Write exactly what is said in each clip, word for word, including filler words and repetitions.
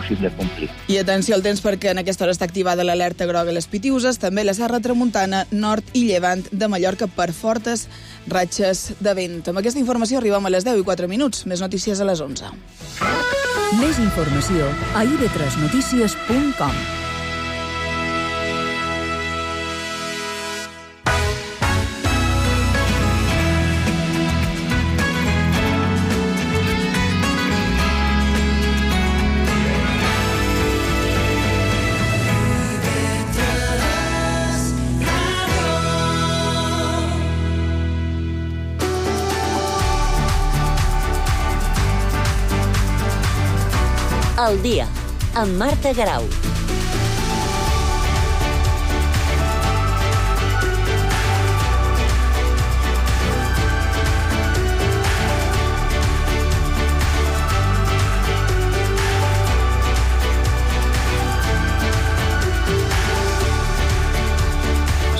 impossible complir. I atenció al temps perquè en aquesta hora està activada l'alerta groga a les Pitiüses, també la Serra Tramuntana, nord i llevant de Mallorca per fortes ratxes de vent. Amb aquesta informació arribem a les deu i quatre minuts. Més notícies a les onze. Més informació a i ve tres notícies punt com. El dia, amb Marta Garau.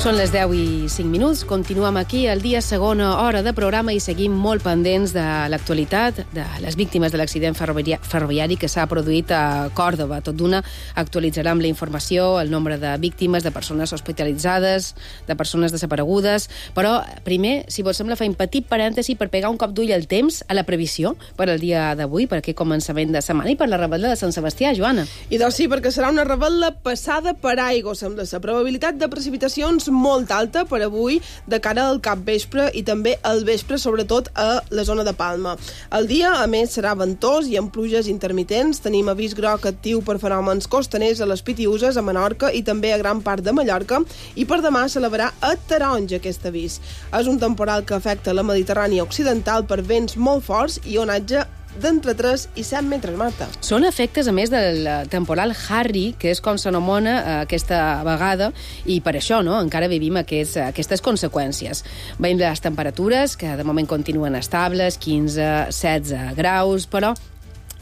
Són les deu i cinc minuts, continuem aquí al dia, segona hora de programa i seguim molt pendents de l'actualitat, de les víctimes de l'accident ferroviari que s'ha produït a Còrdova. Tot d'una actualitzarem la informació, el nombre de víctimes, de persones hospitalitzades, de persones desaparegudes, però primer, si vos sembla, fem petit parèntesi per pegar un cop d'ull al temps, a la previsió per al dia d'avui, per aquest començament de setmana i per la rebel·la de Sant Sebastià, Joana. I doncs sí, perquè serà una rebel·la passada per aigua, sembla. La probabilitat de precipitacions molt alta per avui de cara al capvespre i també al vespre, sobretot a la zona de Palma. El dia, a més, serà ventós i amb pluges intermitents. Tenim avís groc actiu per fenòmens costaners a les Pitiüses, a Menorca i també a gran part de Mallorca, i per demà s'elevarà a taronja aquest avís. És un temporal que afecta la Mediterrània occidental per vents molt forts i onatge d'entre tres i set metres, Marta. Són efectes, a més, del temporal Harry, que és com s'anomena aquesta vegada, i per això no, encara vivim aquests, aquestes conseqüències. Veiem les temperatures, que de moment continuen estables, quinze a setze graus, però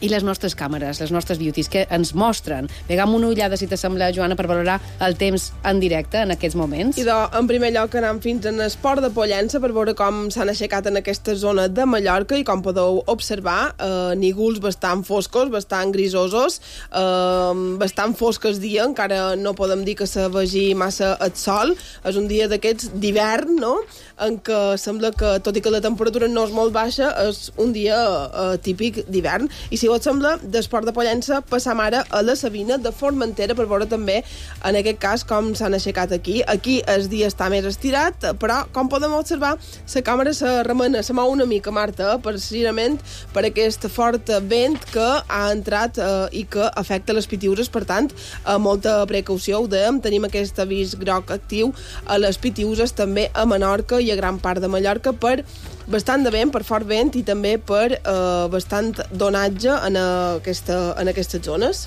i les nostres càmeres, les nostres beauties, que ens mostren. Pegam una ullada, si t'assembla, Joana, per valorar el temps en directe en aquests moments. I de, en primer lloc anem fins en Esport de Pollença per veure com s'han aixecat en aquesta zona de Mallorca i com podeu observar, eh, nígols bastant foscos, bastant grisosos, eh, bastant fosques dia, encara no podem dir que se vegi massa el sol. És un dia d'aquests d'hivern, no?, en què sembla que, tot i que la temperatura no és molt baixa, és un dia eh, típic d'hivern. I si us sembla, d'Esport de Pollença passam ara a la Sabina de Formentera per veure també, en aquest cas, com s'han aixecat aquí. Aquí el dia està més estirat, però, com podem observar, la càmera se remena, se mou una mica, Marta, precisament per aquest fort vent que ha entrat eh, i que afecta les Pitiüses. Per tant, eh, molta precaució, ho dèiem, tenim aquest avís groc actiu a les Pitiüses, també a Menorca i a gran part de Mallorca per bastant de vent, per fort vent i també per eh, bastant d'onatge en, aquesta, en aquestes zones.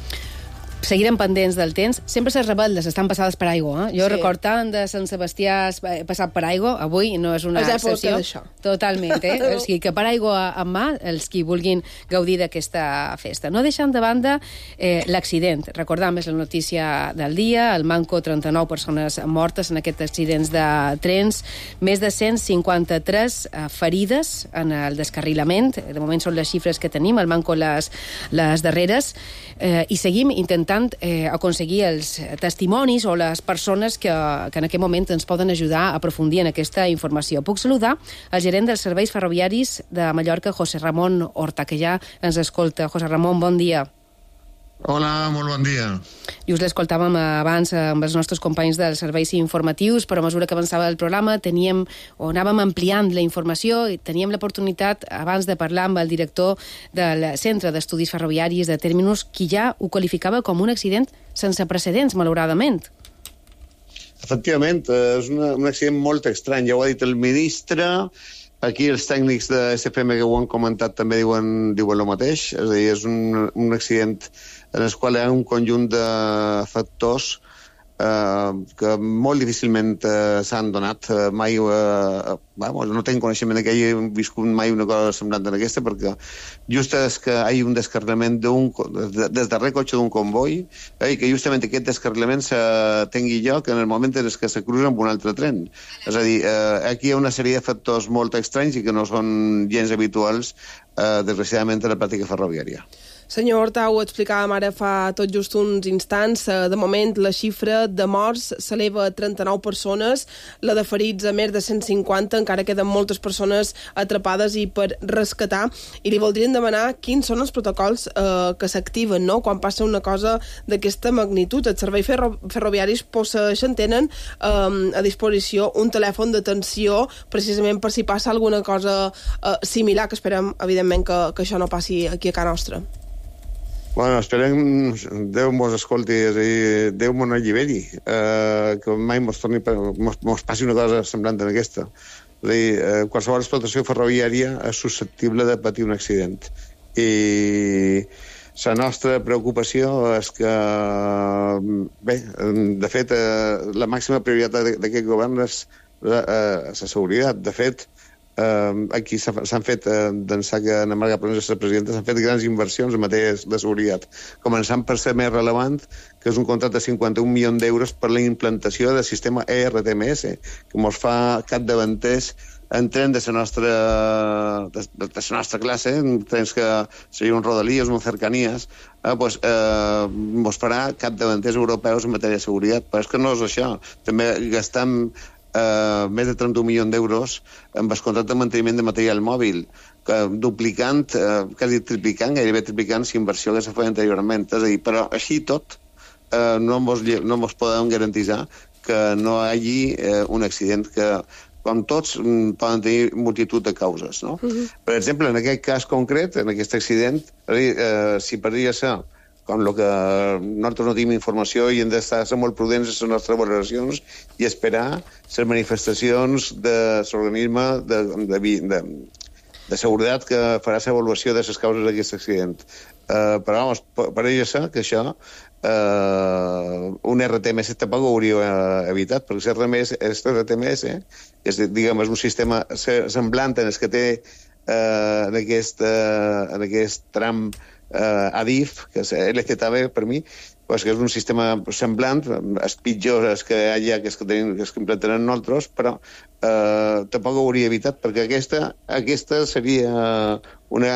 Seguirem pendents del temps. Sempre les rebel·les estan passades per aigua. Eh? Jo sí. record tant de Sant Sebastià passat per aigua, avui no és una és excepció. D'això. Totalment, eh? O sigui que per aigua en mà, els qui vulguin gaudir d'aquesta festa. No deixant de banda eh, l'accident. Recordam, és la notícia del dia, el manco, trenta-nou persones mortes en aquests accidents de trens, més de cent cinquanta-tres eh, ferides en el descarrilament. De moment són les xifres que tenim, el manco les, les darreres, eh, i seguim intentant Eh, aconseguir els testimonis o les persones que, que en aquest moment ens poden ajudar a aprofundir en aquesta informació. Puc saludar el gerent dels serveis ferroviaris de Mallorca, José Ramon Horta, que ja ens escolta. José Ramon, bon dia. Hola, molt bon dia. I us l'escoltàvem abans amb els nostres companys dels serveis informatius, però a mesura que avançava el programa teníem, o anàvem ampliant la informació i teníem l'oportunitat abans de parlar amb el director del Centre d'Estudis Ferroviaris de Terminus, qui ja ho qualificava com un accident sense precedents, malauradament. Efectivament, és una, un accident molt estrany. Ja ho ha dit el ministre, aquí els tècnics de S F M que ho han comentat també diuen, diuen el mateix, és a dir, és un, un accident en el qual hi ha un conjunt de factors eh, que molt difícilment eh, s'han donat. Eh, mai, eh, vamos, no tinc coneixement que hagi viscut mai una cosa semblant en aquesta, perquè just és que hi ha un descarrilament d'un, des darrer cotxe d'un comboi, eh, i que justament aquest descarrilament se tingui lloc en el moment en què se cruza amb un altre tren. És a dir, eh, aquí hi ha una sèrie de factors molt estranys i que no són gens habituals, eh, desgraciadament, en la pràctica ferroviària. Senyor Horta, ho explicàvem ara fa tot just uns instants. De moment, la xifra de morts s'eleva a trenta-nou persones, la de ferits a més de cent cinquanta, encara queden moltes persones atrapades i per rescatar. I li voldrien demanar quins són els protocols eh, que s'activen, no?, quan passa una cosa d'aquesta magnitud. Els serveis ferro ferroviaris posseixen, tenen eh, a disposició un telèfon d'atenció precisament per si passa alguna cosa eh, similar, que esperem, evidentment, que, que això no passi aquí a casa nostra. Bueno, esperem Déu mos escolti, és a dir, Déu mos no alliberi, eh, que mai mos, torni, mos, mos passi una cosa semblant en aquesta. És a dir, eh, qualsevol explotació ferroviària és susceptible de patir un accident. I la nostra preocupació és que, bé, de fet, eh, la màxima prioritat d'aquest govern és la, eh, la seguretat. De fet, Uh, aquí s'han fet, uh, d'ençà que Ana Marga Pons és la presidenta, s'han fet grans inversions en matèria de seguretat, començant per ser més relevant, que és un contracte de cinquanta-un milions d'euros per la implantació del sistema E R T M S, que ens fa capdavanters en tren de la nostra, de, de la nostra classe, en trens que serien un Rodalies, un Cercanías, eh, pues, eh, ens farà capdavanters europeus en matèria de seguretat. Però és que no és això. També gastam Uh, més de trenta-un milions d'euros amb el contracte de manteniment de material mòbil, que duplicant, uh, quasi triplicant, gairebé triplicant la inversió que s'ha fet anteriorment. És a dir, però així tot uh, no mos, no mos podem garantitzar que no hi hagi uh, un accident que, com tots, um, poden tenir multitud de causes, no? Uh-huh. Per exemple, en aquest cas concret, en aquest accident, uh, si podria ser com el que nosaltres no tenim informació i hem d'estar molt prudents en les nostres valoracions i esperar les manifestacions de l'organisme de, de, de, de seguretat que farà l'avaluació de les causes d'aquest accident. Uh, però, vamos, pareix ser que això uh, un R T M S tampoc ho hauria evitat, perquè el R T M S és, diguem, és un sistema semblant en el que té uh, en, aquest, uh, en aquest tram Uh, Adif, que és L Z B per mi, pues, que és un sistema semblant, els pitjors que hi ha, que és que, tenim, que, és que implantaran nosaltres, però uh, tampoc ho hauria evitat, perquè aquesta, aquesta seria una,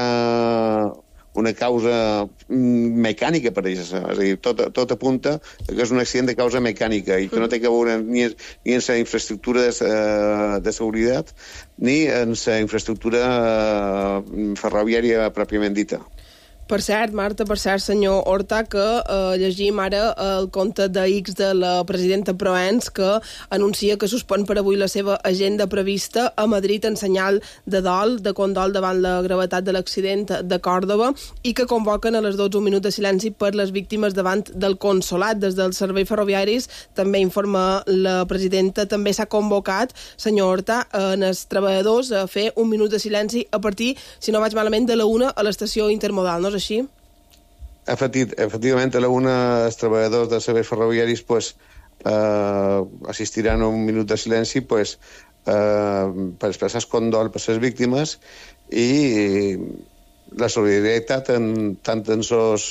una causa mecànica, per això. És a dir, tot, tot apunta que és un accident de causa mecànica i que no té que veure ni, ni en la infraestructura de, de seguretat ni en la infraestructura ferroviària pròpiament dita. Per cert, Marta, per cert, senyor Horta, que eh, llegim ara el compte de X de la presidenta Proens, que anuncia que suspèn per avui la seva agenda prevista a Madrid en senyal de dol, de condol davant la gravetat de l'accident de Còrdova, i que convoquen a les dotze un minut de silenci per les víctimes davant del consolat. Des dels serveis ferroviaris, també informa la presidenta, també s'ha convocat, senyor Horta, en els treballadors a fer un minut de silenci a partir, si no vaig malament, de la una a l'estació intermodal, no? Així? Efectiv, efectivament, a la una els treballadors dels serveis ferroviaris pues, eh, assistiran a un minut de silenci pues, eh, per expressar el condol per les víctimes i la solidaritat en, tant en els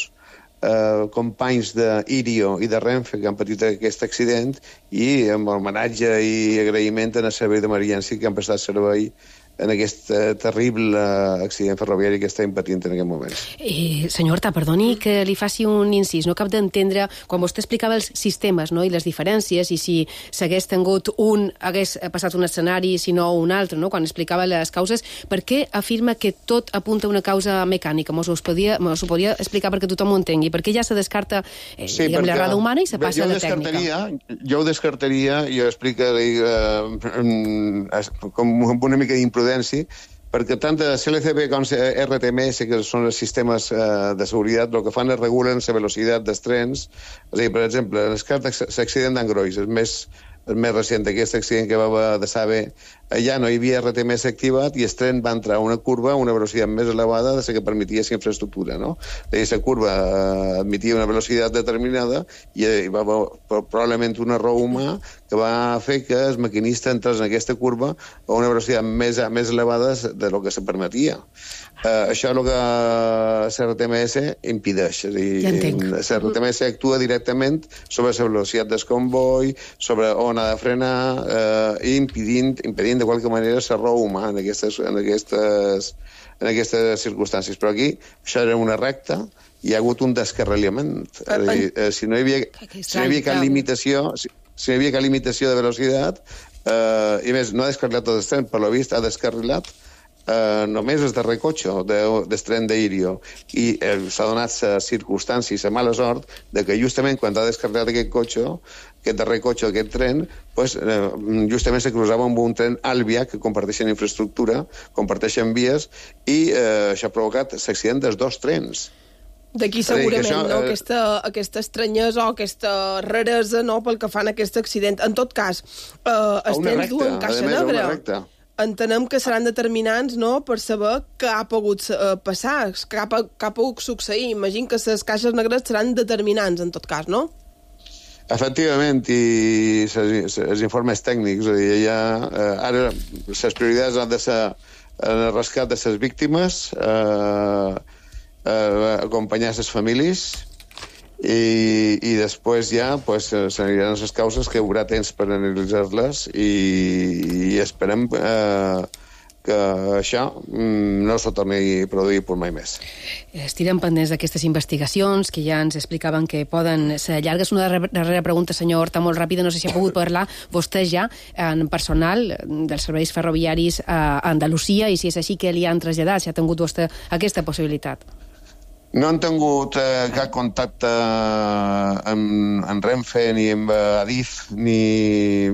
eh, companys d'Irio i de Renfe que han patit aquest accident i amb homenatge i agraïment en el servei d'emergència que han prestat servei en aquest uh, terrible uh, accident ferroviari que estem patint en aquest moment. Eh, senyor Horta, perdoni que li faci un incís. No cap d'entendre, quan vostè explicava els sistemes, no?, i les diferències, i si s'hagués tingut un, hagués passat un escenari, si no un altre, no?, quan explicava les causes, per què afirma que tot apunta a una causa mecànica? Mos ho podia, mos ho podia explicar perquè tothom ho entengui. Per què ja se descarta eh, sí, diguem, l'errada humana i se passa a la tècnica? Jo ho descartaria, jo explicaria eh, com una mica d'imprudència, perquè tant de C L C B com R T M S, que són els sistemes eh, de seguretat, el que fan és regulen la velocitat dels trens. És a dir, per exemple, l'accident d'Angrois, el més, el més recent d'aquest accident que va haver de saber, allà no hi havia R T M S activat i el tren va entrar a una curva a una velocitat més elevada de la que permetia la infraestructura, no? La curva eh, admetia una velocitat determinada i hi va haver probablement un error humà que va fer que el maquinista entrés en aquesta curva a una velocitat més, més elevada de lo que se permetia. Uh, això és el que l'R T M S impedeix. És a dir, l'R T M S actua directament sobre la velocitat del comboi, sobre on ha de frenar, uh, i impedint, impedint de qualque manera l'error humà en aquestes, en aquestes, en aquestes circumstàncies. Però aquí això era una recta hi ha hagut un descarrilament. És a dir, eh, si no hi havia, si no hi havia cap limitació, si, si no hi havia cap limitació de velocitat, eh, i més, no ha descarrilat tot el tren, per lo vist ha descarrilat eh, només el darrer cotxe de, del tren d'Irio, i eh, s'ha donat la circumstància i la mala sort de que justament quan ha descarrilat aquest cotxe, aquest darrer cotxe, aquest tren, pues, eh, justament se cruzava amb un tren Albia, que comparteixen infraestructura, comparteixen vies, i eh, això ha provocat l'accident dels dos trens. D'aquí segurament, això, no? Aquesta, aquesta estranyesa o aquesta raresa, no?, pel que fan aquest accident. En tot cas, eh, els trens duen caixa negra. Entenem que seran determinants, no?, per saber què ha pogut uh, passar, què ha, què ha pogut succeir. Imagino que les caixes negres seran determinants, en tot cas, no? Efectivament, i els informes tècnics, és a dir, ja, eh, ara les prioritats han de ser el rescat de les víctimes, eh, eh, acompanyar les famílies, i, i després ja pues, s'aniran les causes, que hi haurà temps per analitzar-les, i, i esperem eh, que això no se torni a produir per mai més. Estirem pendents d'aquestes investigacions que ja ens explicaven que poden ser llargues. Una darrera pregunta, senyor Horta, molt ràpida. No sé si ha pogut parlar vostè ja en personal dels serveis ferroviaris a Andalusia, i si és així, què li han traslladat, si ha tingut vostè aquesta possibilitat. No han tingut eh, cap contacte amb, amb Renfe ni amb Adif, ni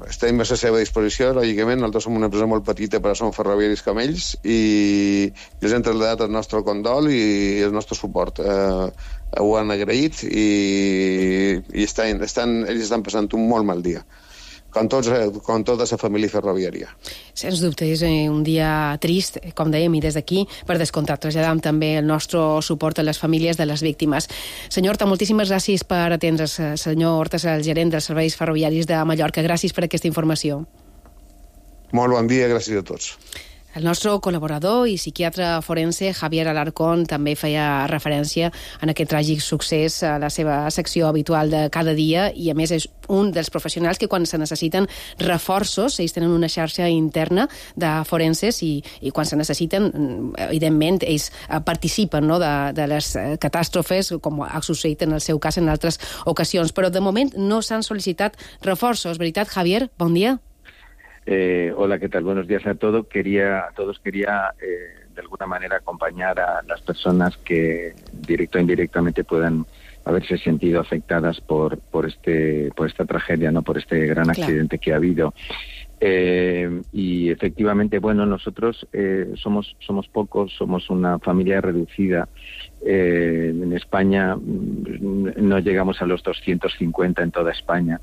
estem a la seva disposició, lògicament. Nosaltres som una empresa molt petita, però som ferroviaris com ells, i els hem traslladat el nostre condol i el nostre suport. Eh, ho han agraït, i, i estan, estan, ells estan passant un molt mal dia, com, tots, com tota la família ferroviària. Sens dubte, és un dia trist, com dèiem, i des d'aquí, per descomptat, traslladam també el nostre suport a les famílies de les víctimes. Senyor Horta, moltíssimes gràcies per atendre's. Senyor Horta, el gerent dels serveis ferroviaris de Mallorca. Gràcies per aquesta informació. Molt bon dia, gràcies a tots. El nostre col·laborador i psiquiatre forense, Javier Alarcón, també feia referència en aquest tràgic succés a la seva secció habitual de cada dia, i a més és un dels professionals que quan se necessiten reforços, ells tenen una xarxa interna de forenses, i, i quan se necessiten, evidentment, ells participen, no?, de, de les catàstrofes, com ha succeït en el seu cas en altres ocasions. Però de moment no s'han sol·licitat reforços. Veritat, Javier? Bon dia. Eh, hola, ¿qué tal? Buenos días a todos. Quería, a todos quería eh, de alguna manera acompañar a las personas que directo o indirectamente puedan haberse sentido afectadas por por este por esta tragedia, no, por este gran claro. accidente que ha habido. Eh, y efectivamente, bueno, nosotros eh, somos somos pocos, somos una familia reducida. Eh, en España no llegamos a los doscientos cincuenta en toda España.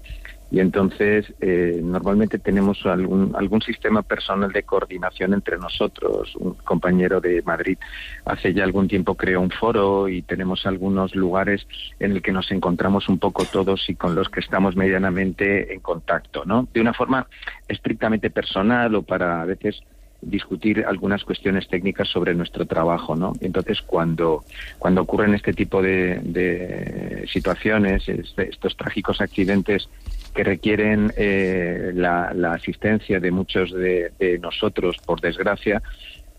Y entonces eh, normalmente tenemos algún algún sistema personal de coordinación entre nosotros. Un compañero de Madrid hace ya algún tiempo creó un foro, y tenemos algunos lugares en el que nos encontramos un poco todos y con los que estamos medianamente en contacto, ¿no? De una forma estrictamente personal, o para a veces discutir algunas cuestiones técnicas sobre nuestro trabajo, ¿no? Entonces, cuando cuando ocurren este tipo de, de situaciones, este, estos trágicos accidentes que requieren eh, la, la asistencia de muchos de, de nosotros, por desgracia,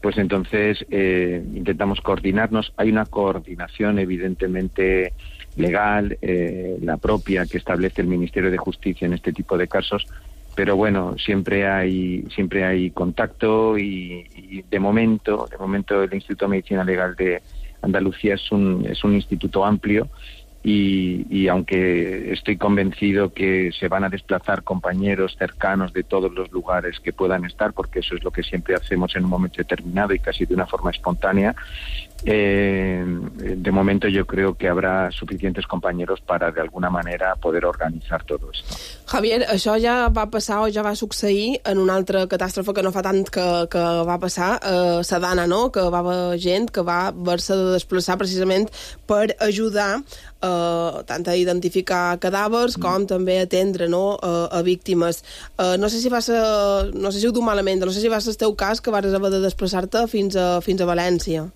pues entonces eh, intentamos coordinarnos. Hay una coordinación evidentemente legal, eh, la propia que establece el Ministerio de Justicia en este tipo de casos, pero bueno, siempre hay siempre hay contacto, y, y de momento, de momento el Instituto de Medicina Legal de Andalucía es un es un instituto amplio. Y, y aunque estoy convencido que se van a desplazar compañeros cercanos de todos los lugares que puedan estar, porque eso es lo que siempre hacemos en un momento determinado y casi de una forma espontánea, eh, de momento yo creo que habrá suficientes compañeros para de alguna manera poder organitzar todo esto. Javier, això ja va passar o ja va succeir en una altra catàstrofe que no fa tant que, que va passar a Sadana, no?, que va haver gent que va haver-se de desplaçar precisament per ajudar Uh, tant a identificar cadàvers com mm. també a atendre, no?, uh, a víctimes. Uh, no sé si va ser, no sé si ho du malament, no sé si va ser el teu cas que vas haver de desplaçar-te fins a, fins a València.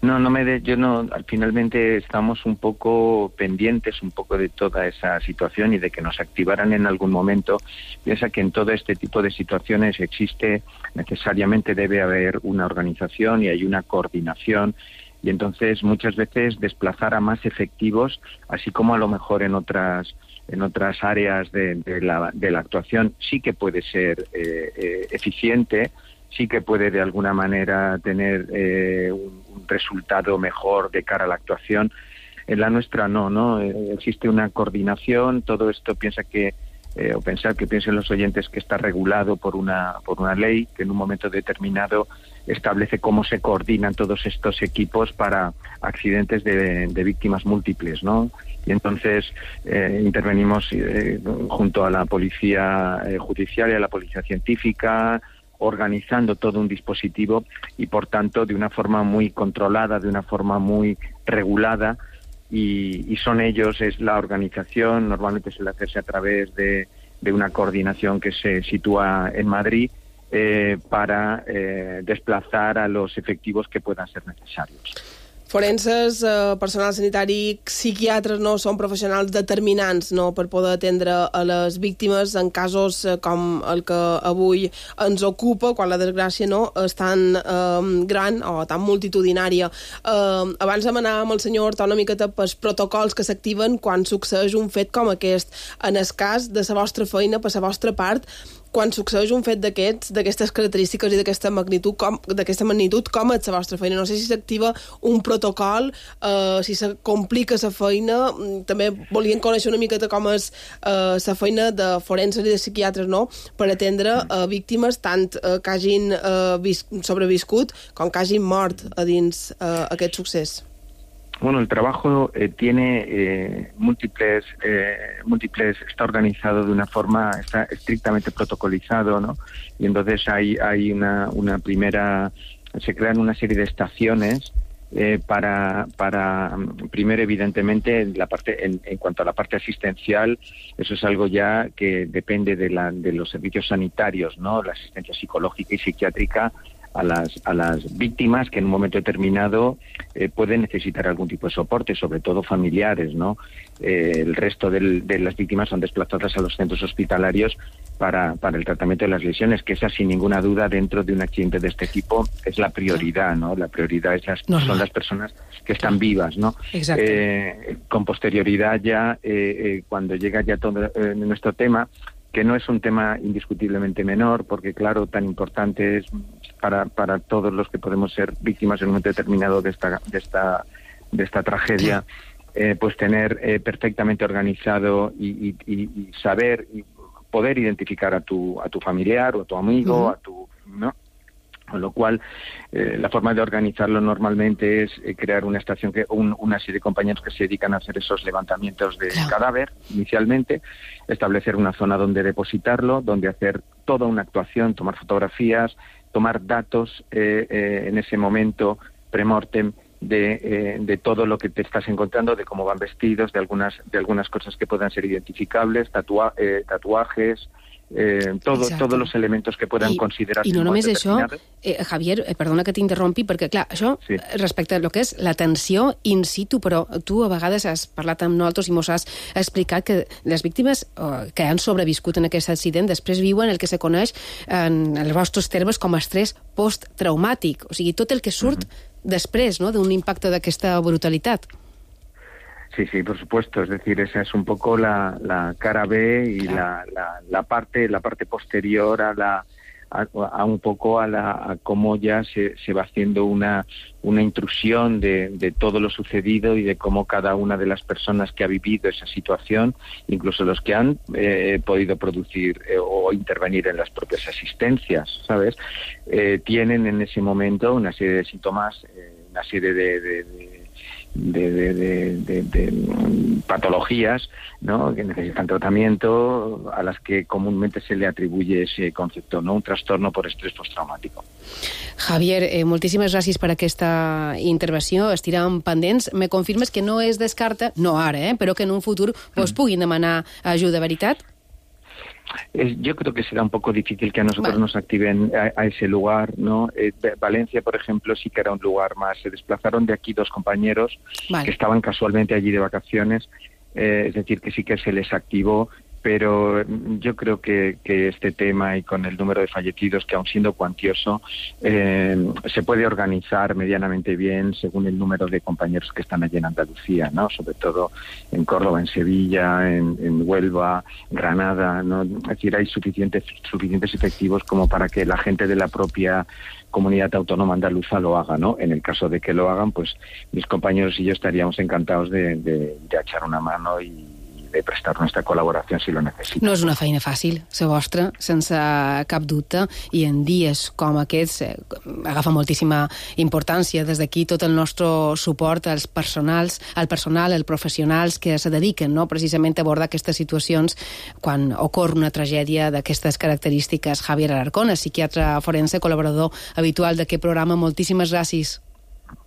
No, no me de, yo no, finalmente estamos un poco pendientes un poco de toda esa situación y de que nos activaran en algún momento. Piensa que en todo este tipo de situaciones existe, necesariamente debe haber una organización y hay una coordinación y entonces muchas veces desplazar a más efectivos, así como a lo mejor en otras en otras áreas de, de, la, de la actuación sí que puede ser eh, eh, eficiente, sí que puede de alguna manera tener eh, un, un resultado mejor de cara a la actuación. En la nuestra no, ¿no? Eh, existe una coordinación, todo esto piensa que Eh, o pensar que piensen los oyentes que está regulado por una por una ley que en un momento determinado establece cómo se coordinan todos estos equipos para accidentes de, de víctimas múltiples, ¿no? Y entonces eh, intervenimos eh, junto a la policía eh, judicial y a la policía científica, organizando todo un dispositivo y por tanto de una forma muy controlada, de una forma muy regulada. Y, y son ellos, es la organización, normalmente suele hacerse a través de, de una coordinación que se sitúa en Madrid eh, para eh, desplazar a los efectivos que puedan ser necesarios. Forenses, eh, personal sanitari, psiquiatres no són professionals determinants no, per poder atendre a les víctimes en casos eh, com el que avui ens ocupa, quan la desgràcia no és tan eh, gran o tan multitudinària. Eh, abans de anar amb el senyor Horta una miqueta pels protocols que s'activen quan succeeix un fet com aquest. En el cas de la vostra feina, per la vostra part, quan succeeix un fet d'aquests, d'aquestes característiques i d'aquesta magnitud, com, d'aquesta magnitud, com és la vostra feina? No sé si s'activa un protocol, eh, si se complica la feina. També volien conèixer una miqueta com és eh, la feina de forenses i de psiquiatres, no?, per atendre eh, víctimes tant eh, que hagin eh, vis- sobreviscut com que hagin mort a dins eh, aquest succés. Bueno, el trabajo eh, tiene eh, múltiples, eh, múltiples, está organizado de una forma, está estrictamente protocolizado, ¿no? Y entonces hay, hay una, una primera, se crean una serie de estaciones eh, para, para, primero evidentemente, la parte, en, en cuanto a la parte asistencial, eso es algo ya que depende de, la, de los servicios sanitarios, ¿no? La asistencia psicológica y psiquiátrica a las a las víctimas que en un momento determinado eh, pueden necesitar algún tipo de soporte, sobre todo familiares, ¿no? Eh, el resto del, de las víctimas son desplazadas a los centros hospitalarios para, para el tratamiento de las lesiones, que esa sin ninguna duda dentro de un accidente de este tipo es la prioridad, ¿no? La prioridad es las, son las personas que están vivas, ¿no? Exacto. Eh, con posterioridad ya, eh, eh, cuando llega ya todo eh, nuestro tema, que no es un tema indiscutiblemente menor, porque claro, tan importante es para, para todos los que podemos ser víctimas en un momento determinado de esta, de esta, de esta tragedia, eh, pues tener eh, perfectamente organizado y, y, y saber y poder identificar a tu, a tu familiar o a tu amigo, uh-huh. a tu, ¿no? Con lo cual, eh, la forma de organizarlo normalmente es eh, crear una estación, que un, una serie de compañeros que se dedican a hacer esos levantamientos de claro. cadáver inicialmente, establecer una zona donde depositarlo, donde hacer toda una actuación, tomar fotografías, tomar datos eh, eh, en ese momento premortem de, eh, de todo lo que te estás encontrando, de cómo van vestidos, de algunas, de algunas cosas que puedan ser identificables, tatua- eh, tatuajes, Eh, todo, tots els elements que poden considerar-se. I no només això, eh, Javier, eh, perdona que t'interrompi, perquè clar, això sí. respecte a lo que és l'atenció in situ, però tu a vegades has parlat amb nosaltres i mos has explicat que les víctimes eh, que han sobreviscut en aquest accident després viuen el que se coneix en els vostres termes com a estrès posttraumàtic, o sigui, tot el que surt uh-huh. després, no?, d'un impacte d'aquesta brutalitat. Sí, sí, por supuesto. Es decir, esa es un poco la, la cara B y la, la, la parte la parte posterior a la a, a un poco a la a cómo ya se, se va haciendo una una intrusión de, de todo lo sucedido y de cómo cada una de las personas que ha vivido esa situación, incluso los que han eh, podido producir eh, o intervenir en las propias asistencias, ¿sabes? Eh, tienen en ese momento una serie de síntomas, eh, una serie de, de, de De, de, de, de, de patologías, ¿no?, que necesitan tratamiento, a las que comúnmente se le atribuye ese concepto, ¿no?, un trastorno por estrés postraumático. Javier, eh, moltíssimes gràcies per aquesta intervenció. Estirem pendents. Me confirmes que no es descarta, no ara, eh, però que en un futur vos puguin demanar ajuda, veritat? Es, yo creo que será un poco difícil que a nosotros vale. nos activen a, a ese lugar, ¿no? Eh, Valencia, por ejemplo, sí que era un lugar más. Se desplazaron de aquí dos compañeros vale. que estaban casualmente allí de vacaciones, eh, es decir, que sí que se les activó pero yo creo que, que este tema y con el número de fallecidos, que aun siendo cuantioso, eh, se puede organizar medianamente bien según el número de compañeros que están allí en Andalucía, ¿no? Sobre todo en Córdoba, en Sevilla, en, en Huelva, Granada, ¿no? Es decir, hay suficientes, suficientes efectivos como para que la gente de la propia comunidad autónoma andaluza lo haga, ¿no? En el caso de que lo hagan, pues mis compañeros y yo estaríamos encantados de, de, de echar una mano y de prestar nuestra col·laboració si lo necessita. No és una feina fàcil, la vostra, sense cap dubte, i en dies com aquests eh, agafa moltíssima importància. Des d'aquí tot el nostre suport als personals, al personal, als professionals que se dediquen, no?, precisament a abordar aquestes situacions quan ocorre una tragèdia d'aquestes característiques. Javier Alarcón, psiquiatre forense, col·laborador habitual d'aquest programa, moltíssimes gràcies.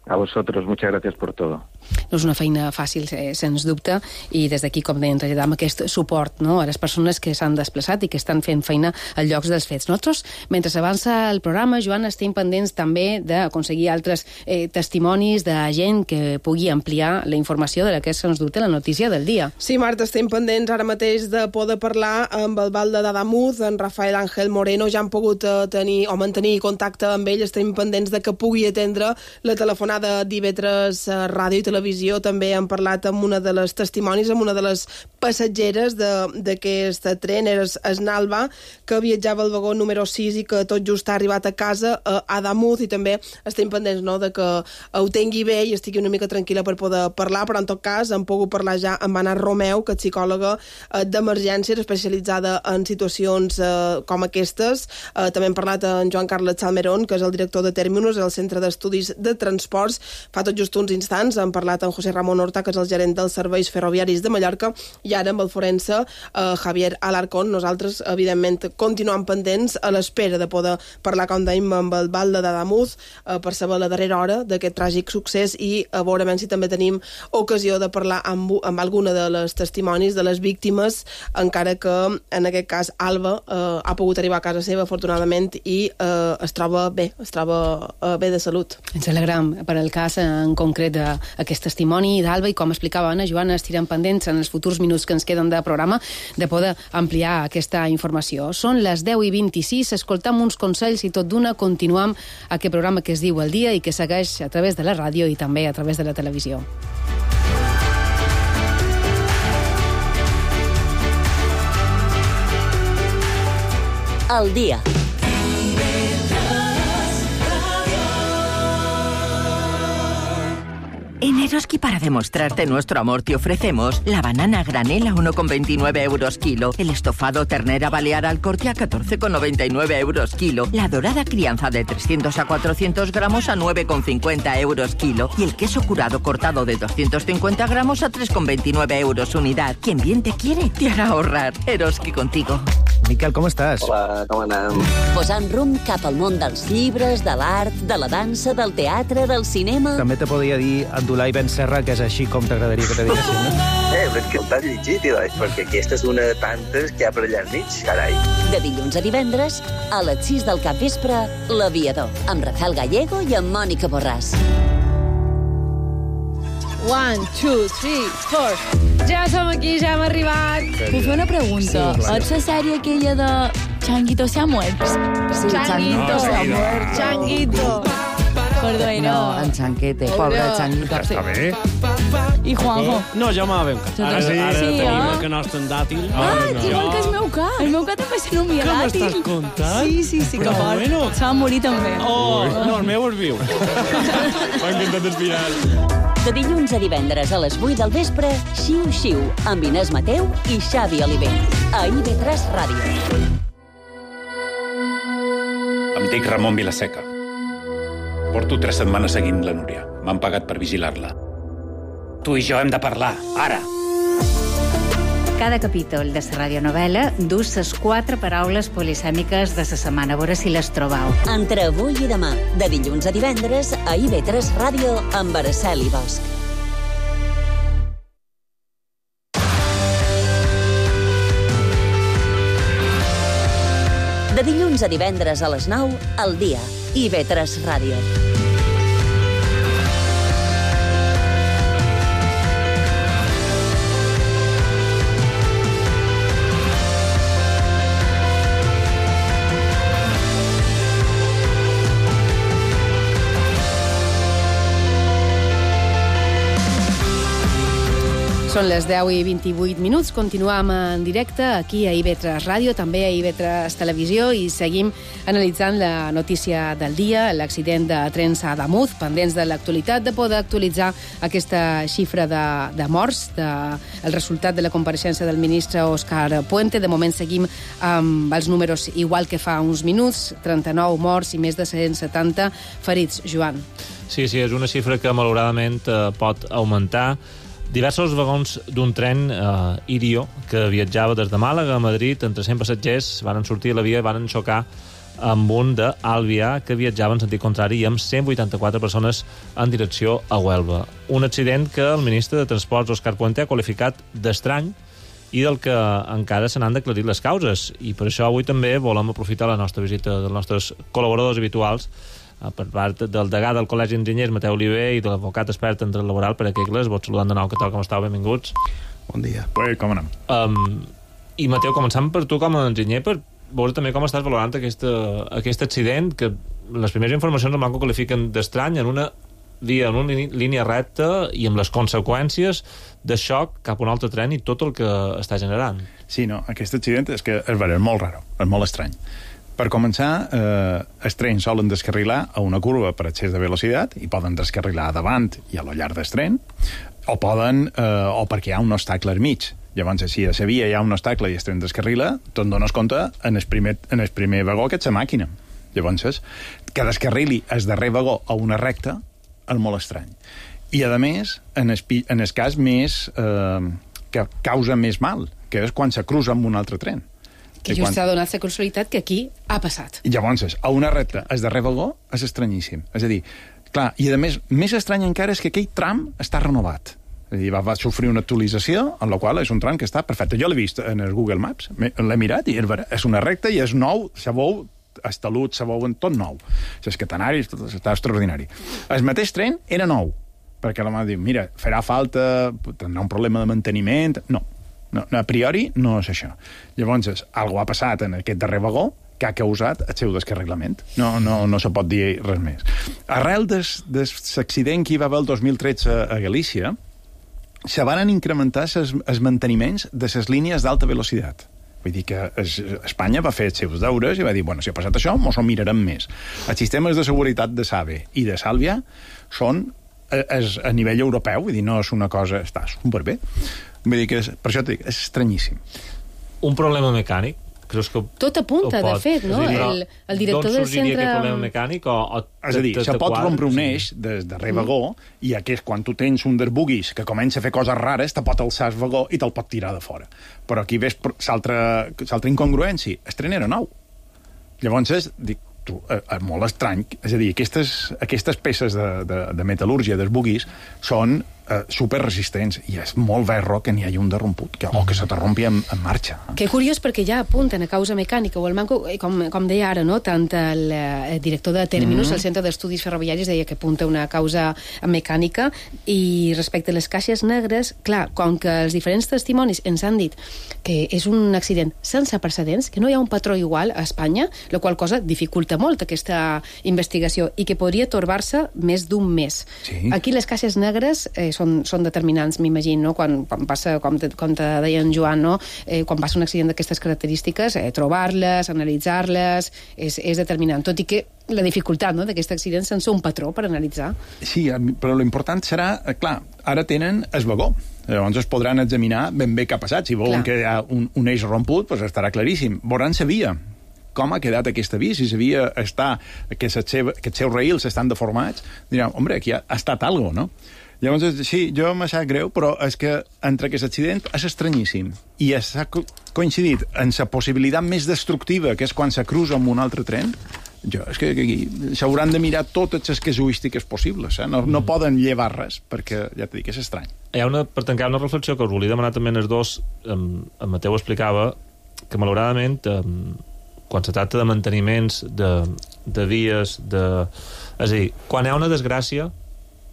A vosotros, muchas gracias por todo. No és una feina fàcil, eh, sens dubte, i des d'aquí, com deien, traslladam aquest suport, no?, a les persones que s'han desplaçat i que estan fent feina als llocs dels fets. Nosaltres, mentre s'avança el programa, Joan, estem pendents també d'aconseguir altres eh, testimonis de gent que pugui ampliar la informació de la que se'ns dute la notícia del dia. Sí, Marta, estem pendents ara mateix de poder parlar amb el Val de Dadamuz, en Rafael Ángel Moreno. Ja han pogut eh, tenir o mantenir contacte amb ell. Estem pendents de que pugui atendre la telefonada d'I V tres eh, Ràdio i Televisió. També han parlat amb una de les testimonis, amb una de les passatgeres d'aquest tren, era Esnalva, que viatjava al vagó número sis i que tot just ha arribat a casa a Adamuz, i també estem pendents, no?, de que ho tingui bé i estigui una mica tranquil·la per poder parlar, però en tot cas hem pogut parlar ja amb Anna Romeu, que és psicòloga eh, d'emergències especialitzada en situacions eh, com aquestes. Eh, també hem parlat amb Joan Carles Salmerón, que és el director de Términos, el Centre d'Estudis de Transports. Fa tot just uns instants hem parlat amb José Ramón Horta, que és el gerent dels serveis ferroviaris de Mallorca, i ara amb el forense eh, Javier Alarcón. Nosaltres, evidentment, continuem pendents a l'espera de poder parlar, com dèiem, amb el Val de Dadamuz eh, per saber la darrera hora d'aquest tràgic succés i a veure si també tenim ocasió de parlar amb, amb alguna de les testimonis de les víctimes, encara que en aquest cas Alba eh, ha pogut arribar a casa seva, afortunadament, i eh, es troba bé, es troba eh, bé de salut. Ens alegram per el cas en concret d'aquest testimoni d'Alba, i com explicava Anna, Joana, estirem pendents en els futurs minuts que ens queden de programa de poder ampliar aquesta informació. Són les deu i vint-i-sis, escoltam uns consells i tot d'una continuam aquest programa que es diu El Dia i que segueix a través de la ràdio i també a través de la televisió. El Dia. En Eroski, para demostrarte nuestro amor, te ofrecemos la banana granel a uno con veintinueve euros kilo, el estofado ternera balear al corte a catorce con noventa y nueve euros kilo, la dorada crianza de trescientos a cuatrocientos gramos a nueve con cincuenta euros kilo y el queso curado cortado de doscientos cincuenta gramos a tres con veintinueve euros unidad. Quien bien te quiere, te hará ahorrar. Eroski contigo. Miquel, com estàs? Hola, com anem? Posant rumb cap al món dels llibres, de l'art, de la dansa, del teatre, del cinema... També te podria dir Abdulai Ben Serra, que és així com t'agradaria que te diguessin, no? Eh, però és que t'has llegit, doncs, perquè aquesta és una de tantes que hi ha per allà al mig, carai. De dilluns a divendres, a les sis del capvespre, L'Aviador, amb Rafael Gallego i amb Mònica Borràs. One, two, three, four. Ja som aquí, ja hem arribat. Puc fer una pregunta? Sí, és la sèrie aquella de Changuito se ha muerto? Sí, Changuito se ha muerto. Changuito. Perdó, no. No, en Chanquete, pobre Changuito. Està bé. I Juanjo? No, jo m'ha ben cat. Ara, sí, ara sí, tenim eh? el canast en dàtil. Ah, no. Igual que el meu cat. El meu cat també s'anomia Què dàtil. m'estàs contant? Sí, sí, sí, que Però fort. bueno. Se va morir també. Oh, no, el meu és viu. M'ha encantat el final. De dilluns a divendres a les vuit del vespre, Xiu Xiu, amb Inés Mateu i Xavi Oliver. A I V tres Ràdio. Em dic Ramon Vilaseca. Porto tres setmanes seguint la Núria. M'han pagat per vigilar-la. Tu i jo hem de parlar, ara. Cada capítol de la radionovela dus les quatre paraules polisèmiques de la setmana. A veure si les trobau. Entre avui i demà, de dilluns a divendres, a I V tres Ràdio, amb Araceli Bosch. De dilluns a divendres a les nou, El Dia, I V tres Ràdio. Són les deu i vint-i-vuit minuts. Continuem en directe aquí a I V tres Ràdio, també a I V tres Televisió, i seguim analitzant la notícia del dia, l'accident de trens a Ademuz, pendents de l'actualitat, de poder actualitzar aquesta xifra de, de morts, de, el resultat de la compareixença del ministre Òscar Puente. De moment seguim amb els números igual que fa uns minuts, trenta-nou morts i més de cent setanta ferits. Joan. Sí, sí, és una xifra que malauradament eh, pot augmentar. Diversos vagons d'un tren eh, Irio, que viatjava des de Màlaga a Madrid, entre cent passatgers, van sortir a la via i van xocar amb un d'Alvia, que viatjava en sentit contrari i amb cent vuitanta-quatre persones en direcció a Huelva. Un accident que el ministre de Transports, Òscar Puente, ha qualificat d'estrany i del que encara se n'han d'aclarir les causes. I per això avui també volem aprofitar la nostra visita dels nostres col·laboradors habituals, per part del degà del Col·legi d'Enginyers, Mateu Oliver, i de l'advocat expert en dret laboral, Pere Quegles. Vos saludant de nou, què tal, com estàu? Benvinguts. Bon dia. Pues, com anem? Um, I, Mateu, començant per tu com a enginyer, per veure també com estàs valorant aquesta, aquest accident, que les primeres informacions el banco qualifiquen d'estrany, en una via, en una línia recta i amb les conseqüències de xoc cap a un altre tren i tot el que està generant. Sí, no, aquest accident és que és, és molt raro, és molt estrany. Per començar, eh, els trens solen descarrilar a una curva per excés de velocitat i poden descarrilar davant i a lo llarg del tren, o poden, eh, o perquè hi ha un obstacle al mig. Llavors, si a la via hi ha un obstacle i el tren descarrila, te'n dones compte en el primer, en el primer vagó que ets la màquina. Llavors, que descarrili el darrer vagó a una recta és molt estrany. I, a més, en el, en el cas més eh, que causa més mal, que és quan se cruza amb un altre tren. Que just s'ha donat la casualitat que aquí ha passat. I llavors, a una recta, el darrer vagó és estranyíssim. És a dir, clar, i a més, més estrany encara és que aquell tram està renovat. És a dir, va, va sofrir una actualització, en la qual és un tram que està perfecte. Jo l'he vist en el Google Maps, l'he mirat, i és una recta i és nou, se veu, el talut, se veu tot nou. És catenari, està extraordinari. El mateix tren era nou, perquè la mà diu, mira, farà falta, tindrà un problema de manteniment... No. No, a priori no és això. Llavors, algo ha passat en aquest darrer vagó que ha causat el seu descarrilament. No, no, no se pot dir res més. Arrel de l'accident que hi va haver el dos mil tretze a Galícia, se van incrementar els manteniments de les línies d'alta velocitat. Vull dir que Espanya va fer els seus deures i va dir, bueno, si ha passat això, mos ho mirarem més. Els sistemes de seguretat de SAVE i de Sàlvia són és a nivell europeu, vull dir, no és una cosa... Està superbé. Vull dir que és, per això dic, és estranyíssim. Un problema mecànic? Creus que tot apunta, de fet, no? Dir, el, el director del centre... D'on sorgiria aquest problema mecànic? O, o és a dir, se pot rompre un eix des darrer vagó i aquest, quan tu tens un dels buguis que comença a fer coses rares, te pot alçar el vagó i te'l pot tirar de fora. Però aquí ves l'altra incongruència. El tren era nou. Llavors, dic, tu, és molt estrany. És a dir, aquestes, aquestes peces de, de, de metal·lúrgia dels buguis són eh, superresistents i és molt verro que n'hi hagi un derromput que, o que se t'arrompi en, en marxa. Que curiós, perquè ja apunten a causa mecànica o el manco, com, com deia ara, no? Tant el, el director de Terminus, mm-hmm. el Centre d'Estudis Ferroviaris, deia que apunta una causa mecànica, i respecte a les caixes negres, clar, com que els diferents testimonis ens han dit que és un accident sense precedents, que no hi ha un patró igual a Espanya, la qual cosa dificulta molt aquesta investigació i que podria torbar-se més d'un mes. Sí. Aquí les caixes negres eh, són, són determinants, m'imagino, no? quan, quan passa, com te, com te deia en Joan, no? eh, quan passa un accident d'aquestes característiques, eh, trobar-les, analitzar-les, és, és determinant, tot i que la dificultat, no?, d'aquest accident sense un patró per analitzar. Sí, però l'important serà, eh, clar, ara tenen el vagó. Llavors es podran examinar ben bé què ha passat. Si veuen clar. que hi ha un, un eix romput, doncs estarà claríssim. Veuran la via. Com ha quedat aquesta via? Si la via està, que els seus raïls estan deformats, diran, home, aquí ha, ha estat algo, no? Llavors, sí, jo m'ha sap greu, però és que entre aquest accident és estranyíssim. I s'ha coincidit en la possibilitat més destructiva, que és quan se cruza amb un altre tren. Jo, és que aquí s'hauran de mirar totes les casuístiques possibles, eh? no, no mm. poden llevar res, perquè, ja t'he dit, és estrany. Hi ha una, per tancar, una reflexió que us volia demanar també en els dos. En, en Mateu explicava que, malauradament, en, quan se tracta de manteniments, de, de vies, de... és a dir, quan hi ha una desgràcia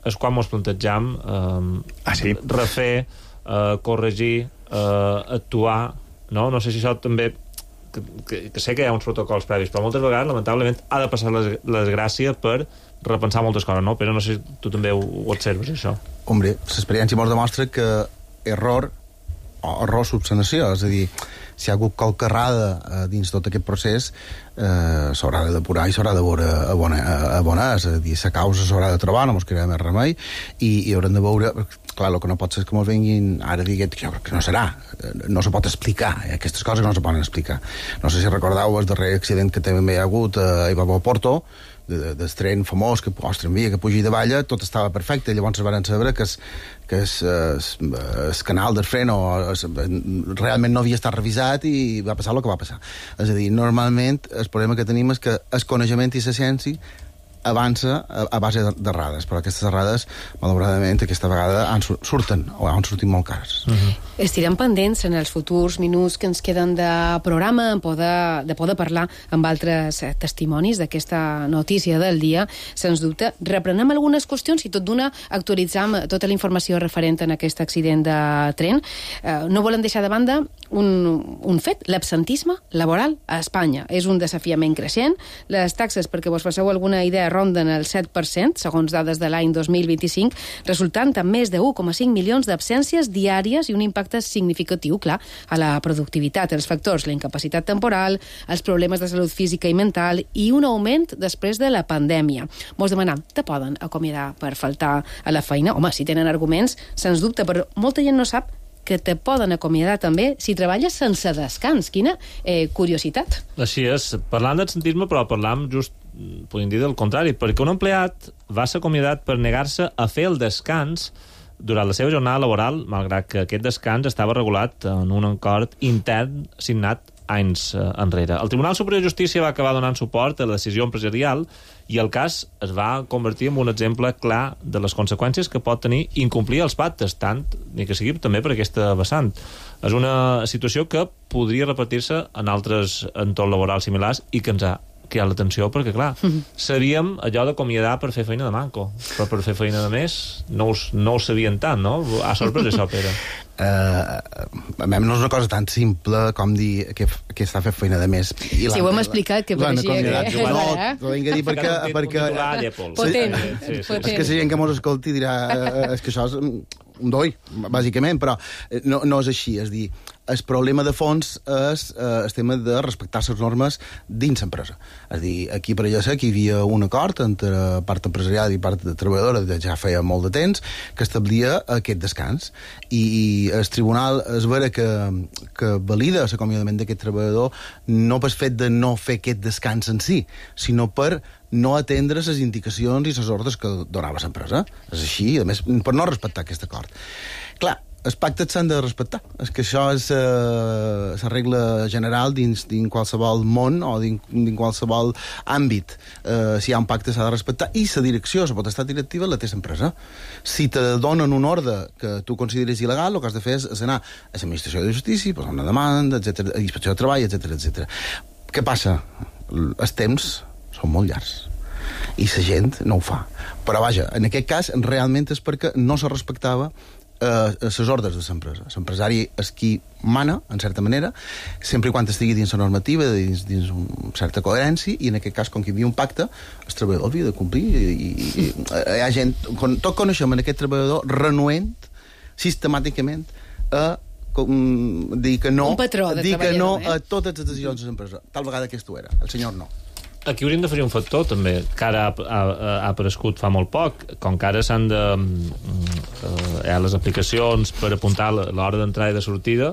és quan ens plantegem eh, ah, sí? refer, eh, corregir, eh, actuar, no? No sé si això també... Que, que, que sé que hi ha uns protocols previs, però moltes vegades, lamentablement, ha de passar la desgràcia per repensar moltes coses, no? Però no sé si tu també ho, ho observes, això. Hombre, l'experiència ens demostra que error o error subsanació, és a dir, si hi ha hagut qualque errada eh, dins tot aquest procés, eh, s'haurà de depurar i s'haurà de veure a bona, a bona, és a dir, la causa s'haurà de trobar, no mos quedarà més remei, i, i haurem de veure, clar, el que no pot ser és que mos vinguin ara diguet, que jo crec que no serà, no se pot explicar, eh, aquestes coses no se poden explicar. No sé si recordeu el darrer accident que també hi ha hagut a Ibabo Porto, de, del tren famós, que, ostres, envia, que pugi de valla, tot estava perfecte, llavors es van saber que es, que es, es, es canal del freno es, realment no havia estat revisat i va passar el que va passar. És a dir, normalment el problema que tenim és que el coneixement i la ciència avança a, a base d'errades, però aquestes errades, malauradament, aquesta vegada han, surten, o han sortit molt cares. Uh-huh. Estirem pendents en els futurs minuts que ens queden de programa, en poder, de poder parlar amb altres testimonis d'aquesta notícia del dia. Sens dubte, reprenem algunes qüestions i tot d'una actualitzam tota la informació referent en aquest accident de tren. Eh, no volen deixar de banda un, un fet, l'absentisme laboral a Espanya. És un desafiament creixent. Les taxes, perquè vos passeu alguna idea, ronden el set per cent, segons dades de l'any dos mil vint-i-cinc, resultant amb més de u coma cinc milions d'absències diàries i un impacte significatiu, clar, a la productivitat. Els factors, la incapacitat temporal, els problemes de salut física i mental i un augment després de la pandèmia. Mos demanam, te poden acomiadar per faltar a la feina? Home, si tenen arguments, sens dubte, però molta gent no sap que te poden acomiadar també si treballes sense descans. Quina eh, curiositat. Així és. Parlant d'absentisme, però parlam just, podem dir del contrari, perquè un empleat va ser acomiadat per negar-se a fer el descans durant la seva jornada laboral, malgrat que aquest descans estava regulat en un acord intern signat anys eh, enrere. El Tribunal Superior de Justícia va acabar donant suport a la decisió empresarial i el cas es va convertir en un exemple clar de les conseqüències que pot tenir incomplir els pactes, tant ni que sigui també per aquesta vessant. És una situació que podria repetir-se en altres entorns laborals similars i que ens ha cridat l'atenció, perquè, clar, sabíem allò d'acomiadar per fer feina de manco, però per fer feina de més no ho, no ho sabien tant, no? Ha sorprès això, Pere? Uh, a mi no és una cosa tan simple com dir que, que està fent feina de més. I si ho hem explicat, que pareixia que... No, t'ho vinc a dir perquè... perquè potent, sí, sí, potent. És que la gent que mos escolti dirà és que això és un doi, bàsicament, però no, no és així. És dir, el problema de fons és eh, el tema de respectar les normes dins l'empresa. És dir, aquí per allà sé que hi havia un acord entre part empresarial i part de treballadora de ja feia molt de temps que establia aquest descans. I, i el tribunal es veure que, que valida l'acomiadament d'aquest treballador no pel fet de no fer aquest descans en si, sinó per no atendre les indicacions i les ordres que donava l'empresa. És així, a més, per no respectar aquest acord. Clar, els pactes s'han de respectar. És que això és eh, la regla general dins, dins qualsevol món o dins, dins qualsevol àmbit. Eh, si hi ha un pacte s'ha de respectar i la direcció, la potestat directiva la té l'empresa. Si te donen un ordre que tu consideres il·legal, el que has de fer és anar a l'administració de justícia, posar una demanda, etcètera, a inspecció de treball, etcètera, etcètera. Què passa? Els temps són molt llargs i la gent no ho fa. Però vaja, en aquest cas realment és perquè no se respectava les eh, ordres de l'empresa. L'empresari és qui mana, en certa manera, sempre i quan estigui dins la normativa, dins, dins una certa coherència, i en aquest cas, com que hi havia un pacte, el treballador havia de complir. I, i, i hi ha gent, tot coneixem en aquest treballador renuent sistemàticament a com, dir que no, dir que no a totes les decisions de l'empresa. Tal vegada aquest ho era, el senyor no. Aquí hauríem de fer un factor, també, que ara ha, ha, ha aparegut fa molt poc, com que ara s'han de... Eh, hi ha les aplicacions per apuntar l'hora d'entrada i de sortida,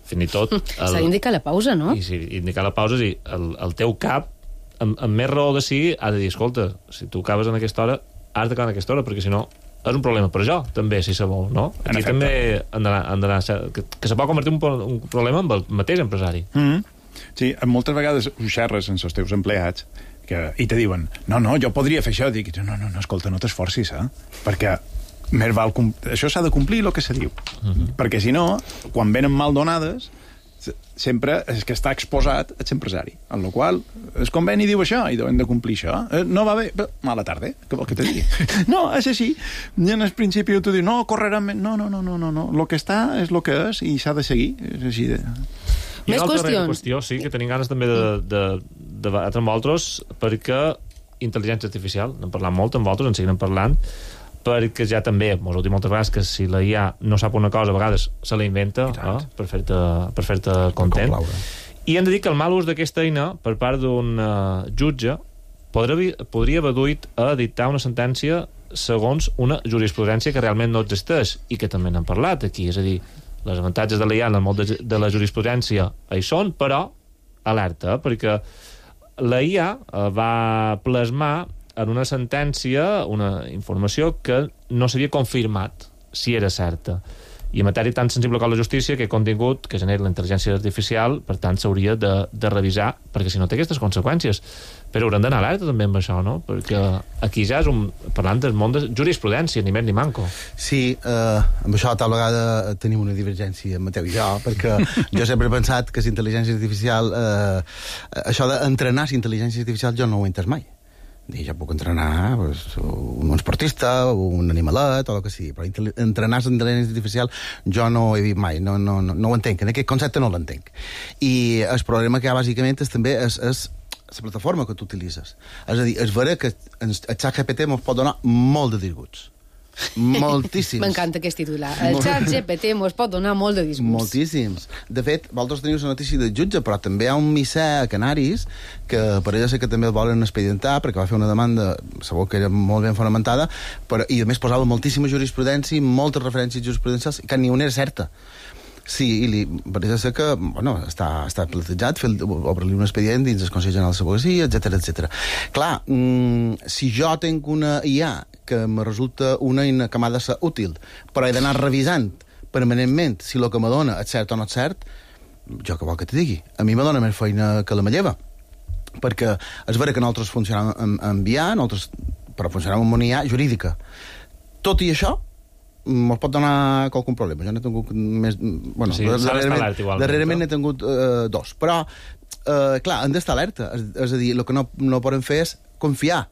fins i tot... S'ha d'indicar la pausa, no? I sí, indicar la pausa, sí. El, el teu cap, amb, amb més raó de sí, ha de dir, escolta, si tu acabes en aquesta hora, has d'acabar en aquesta hora, perquè si no és un problema per jo, també, si se vol, no? Aquí també han d'anar... Que, que se pot convertir en un, un problema amb el mateix empresari. Mm-hmm. Sí, moltes vegades ho xerres amb els teus empleats que, i te diuen, no, no, jo podria fer això. Dic, no, no, no, escolta, no t'esforcis, eh? Perquè més val això s'ha de complir el que se diu. Uh-huh. Perquè si no, quan venen mal donades, sempre és que està exposat a l'empresari. En la qual el conveni diu això i hem de complir això. No va bé, mala tarda, què vol que te digui? No, és així. I en el principi tu dius, no, correrà... No, no, no, no, no, no. El que està és el que és i s'ha de seguir. És així de... Més qüestions. Qüestió, sí, que tenim ganes també de, de, de debatre amb vosaltres, perquè intel·ligència artificial, n'hem parlat molt amb vosaltres, en seguirem parlant, perquè ja també, m'ho heu dit moltes vegades, que si la I A no sap una cosa, a vegades se la inventa eh, per fer-te per fer-te content. I hem de dir que el mal ús d'aquesta eina per part d'un uh, jutge podria, podria haver duit a dictar una sentència segons una jurisprudència que realment no existeix i que també n'hem parlat aquí, és a dir, les avantatges de la I A en el món de, de la jurisprudència hi són, però alerta, perquè la I A uh, va plasmar en una sentència una informació que no s'havia confirmat si era certa. I en matèria tan sensible com la justícia, que contingut que genera la intel·ligència artificial, per tant, s'hauria de, de revisar, perquè si no té aquestes conseqüències. Però haurem d'anar alerta també amb això, no? Perquè aquí ja és un... parlant del món de jurisprudència, ni més ni manco. Sí, eh, amb això tal vegada tenim una divergència, Mateu i jo, perquè jo sempre he pensat que la intel·ligència artificial... Eh, això d'entrenar la intel·ligència artificial jo no ho he entès mai. I jo puc entrenar pues, un esportista, un animalet, o el que sigui, però entrenar la intel·ligència artificial jo no ho he vist mai, no, no, no, no ho entenc, en aquest concepte no l'entenc. I el problema que hi ha bàsicament és també és, és la plataforma que tu utilitzes. És a dir, és vera que el ChatGPT ens pot donar molt de disgusts. Moltíssims. M'encanta aquest titular. El ChatGPT mos pot donar molt de disgusts. Moltíssims. De fet, vosaltres teniu la notícia del jutge, però també hi ha un missè a Canaris que pareix ser que també el volen expedientar perquè va fer una demanda, segur que era molt ben fonamentada, però, i a més posava moltíssima jurisprudència, moltes referències jurisprudencials, que ni una era certa. Sí, i li pareix ser que bueno, està, està plantejat fer, obre-li un expedient dins el Consell General de l'Advocacia, etcètera, etcètera. Clar, mmm, si jo tinc una I A que me resulta una eina que m'ha de ser útil, però he d'anar revisant permanentment si el que me dona és cert o no és cert, jo què vol que te digui? A mi me dona més feina que la meva. Perquè és vera que nosaltres funcionem amb, amb I A, nosaltres, però funcionem amb una I A jurídica. Tot i això, me'ls pot donar qualcun problema. Jo n'he tingut més... Bueno, sí, darrerament, igual, darrerament n'he tingut uh, dos. Però, uh, clar, han d'estar alerta. És, és a dir, el que no, no podem fer és confiar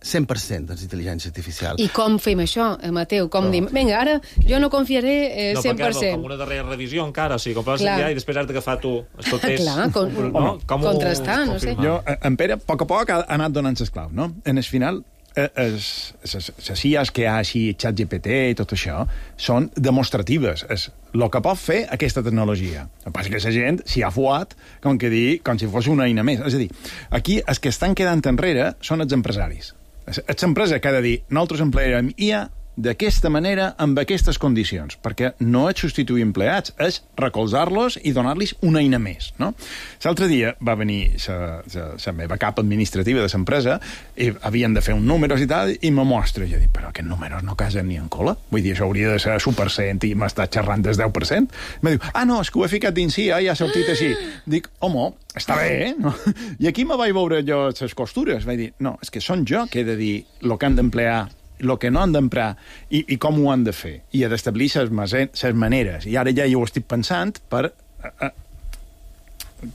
cent per cent en l'intel·ligència artificial. I com fem això, Mateu? Com no. Dim, vinga, ara jo no confiaré eh, no, cent per cent. No, com una darrera revisió encara, o sigui, com vas enviar i després has d'agafar tu els papers. Clar, con, no? Com contrastar, no sé. Jo, en Pere, a poc a poc ha anat donant les claus, no? En el final, les I As que hi ha així, ChatGPT i tot això, són demostratives. És el que pot fer aquesta tecnologia. El que passa que la gent s'hi ha fuat com que dir, com si fos una eina més. És a dir, aquí els que estan quedant enrere són els empresaris. És l'empresa que ha de dir, nosaltres emplearem I A d'aquesta manera, amb aquestes condicions, perquè no és substituir empleats, és recolzar-los i donar-los una eina més, no? L'altre dia va venir la meva cap administrativa de l'empresa i havien de fer un números i tal, i me mostra, i jo dic, però aquests números no casen ni en cola? Vull dir, això hauria de ser un per cent i m'està xerrant del deu per cent? I me diu, ah, no, és que ho he ficat dins I A, ja ha sortit així. Dic, home, està bé, eh? No? I aquí me vaig veure jo les costures. Vaig dir, no, és que són jo que he de dir el que han d'emplear, el que no han d'emprar i, i com ho han de fer. I he d'establir les maneres. I ara ja hi ho estic pensant per a, a,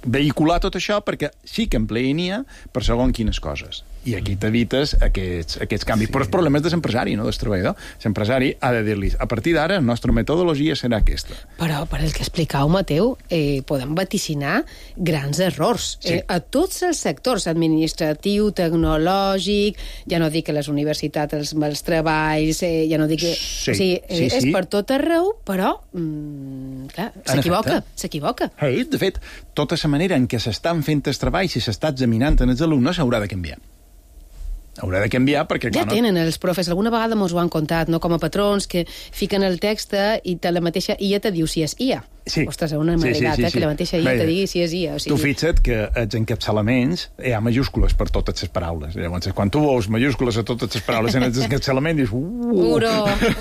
vehicular tot això perquè sí que empleïn I A per segons quines coses. I aquí t'evites aquests, aquests canvis. Sí. Però el problema és de l'empresari, no del treballador. L'empresari ha de dir-li, a partir d'ara, la nostra metodologia serà aquesta. Però, per el que explicau, Mateu, eh, podem vaticinar grans errors. Sí. Eh, a tots els sectors, administratiu, tecnològic, ja no dic que les universitats, els, els treballs, eh, ja no dic que... Sí, o sigui, eh, sí, sí. És per tot arreu, però, mm, clar, s'equivoca, s'equivoca. Hey, de fet, tota la manera en què s'estan fent els treballs i s'està examinant en els alumnes haurà de canviar. Haurà de canviar perquè... Ja no... tenen els profes, alguna vegada mos ho han contat, no? Com a patrons que fiquen el text i te la mateixa I A te diu si és I A. Sí. Ostres, una maregata, sí, sí, sí, sí. Que la mateixa I A te digui si és I A. O sigui... Tu fixa't que els encapçalaments hi ha majúscules per totes les paraules. Llavors, quan tu veus majúscules a totes les paraules en els encapçalaments, dius... Uh! Uro,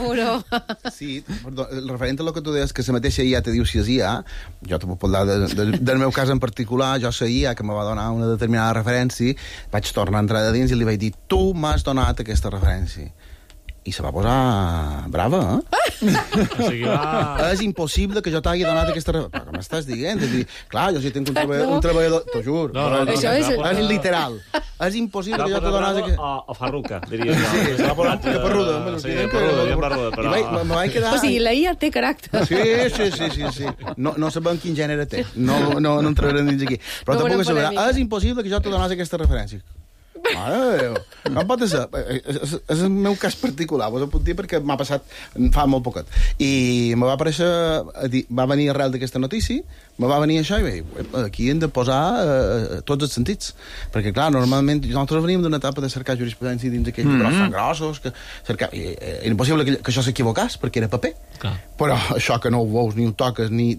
uro. Sí, perdó, referent a lo que tu deies, que la mateixa I A te diu si és I A, jo te puc parlar de, de, del meu cas en particular, jo la I A que me va donar una determinada referència, vaig tornar a entrar de dins i li vaig dir, tu m'has donat aquesta referència. I se va posar brava, eh? O sigui, va... És impossible que jo t'hagi donat aquesta... Però què m'estàs dient? És dir, clar, jo si tinc un, treball, no. un treballador... T'ho juro. No, no, no, això no, és... no, és literal. És impossible que jo t'ho donat... Que... O, o farruca, diria jo. Sí, que parruda. Sí, que parruda, que parruda, però... I me vaig quedar... O sigui, la I A té caràcter. Sí, sí, sí, sí, sí. No, no sabem quin gènere té. No, no, no entrarem dins aquí. Però no tampoc saber, és impossible que jo t'ho donàs aquesta referència. Mare de Déu. Com pot ser? És, és el meu cas particular, vos ho puc dir perquè m'ha passat fa molt poquet. I me va aparèixer, va venir arrel d'aquesta notícia, me va venir això i vaig dir, aquí hem de posar eh, tots els sentits. Perquè, clar, normalment nosaltres veníem d'una etapa de cercar jurisprudència dins aquells mm -hmm. llibres tan grossos, que cercar... I, era impossible que, que això s'equivocàs, perquè era paper. Clar. Però això que no ho veus, ni ho toques, ni...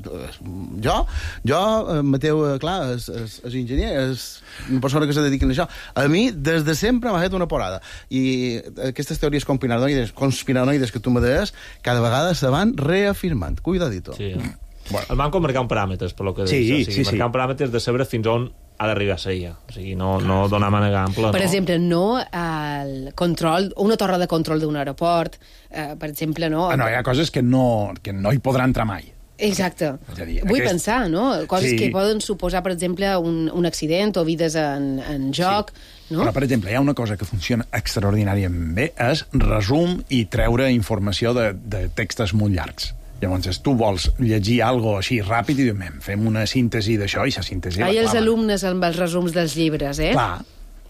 Jo, jo Mateu, clar, és, és, és enginyer, és una persona que se dedica a això. A mi, des de sempre, m'ha fet una porada. I aquestes teories conspiranoides, conspiranoides que tu me deies, cada vegada se van reafirmant. Cuidadito. Sí, eh? Bueno. El banco marcar un paràmetres, per lo que sí, deies. O sigui, sí, marcar sí. un paràmetres de saber fins on ha d'arribar a ser ja. O sigui, no, no donar mànega ampla. Per no. exemple, no al control, una torre de control d'un aeroport, eh, per exemple, no... Ah, no, hi ha coses que no, que no hi podrà entrar mai. Exacte. Dir, Vull aquest... pensar, no? Coses sí. que poden suposar, per exemple, un, un accident o vides en, en joc, sí. no? Però, per exemple, hi ha una cosa que funciona extraordinàriament bé, és resum i treure informació de, de textos molt llargs. Llavors, tu vols llegir alguna cosa així ràpid i dius, fem una síntesi d'això i la síntesi... Hi ha els alumnes amb els resums dels llibres, eh? Clar.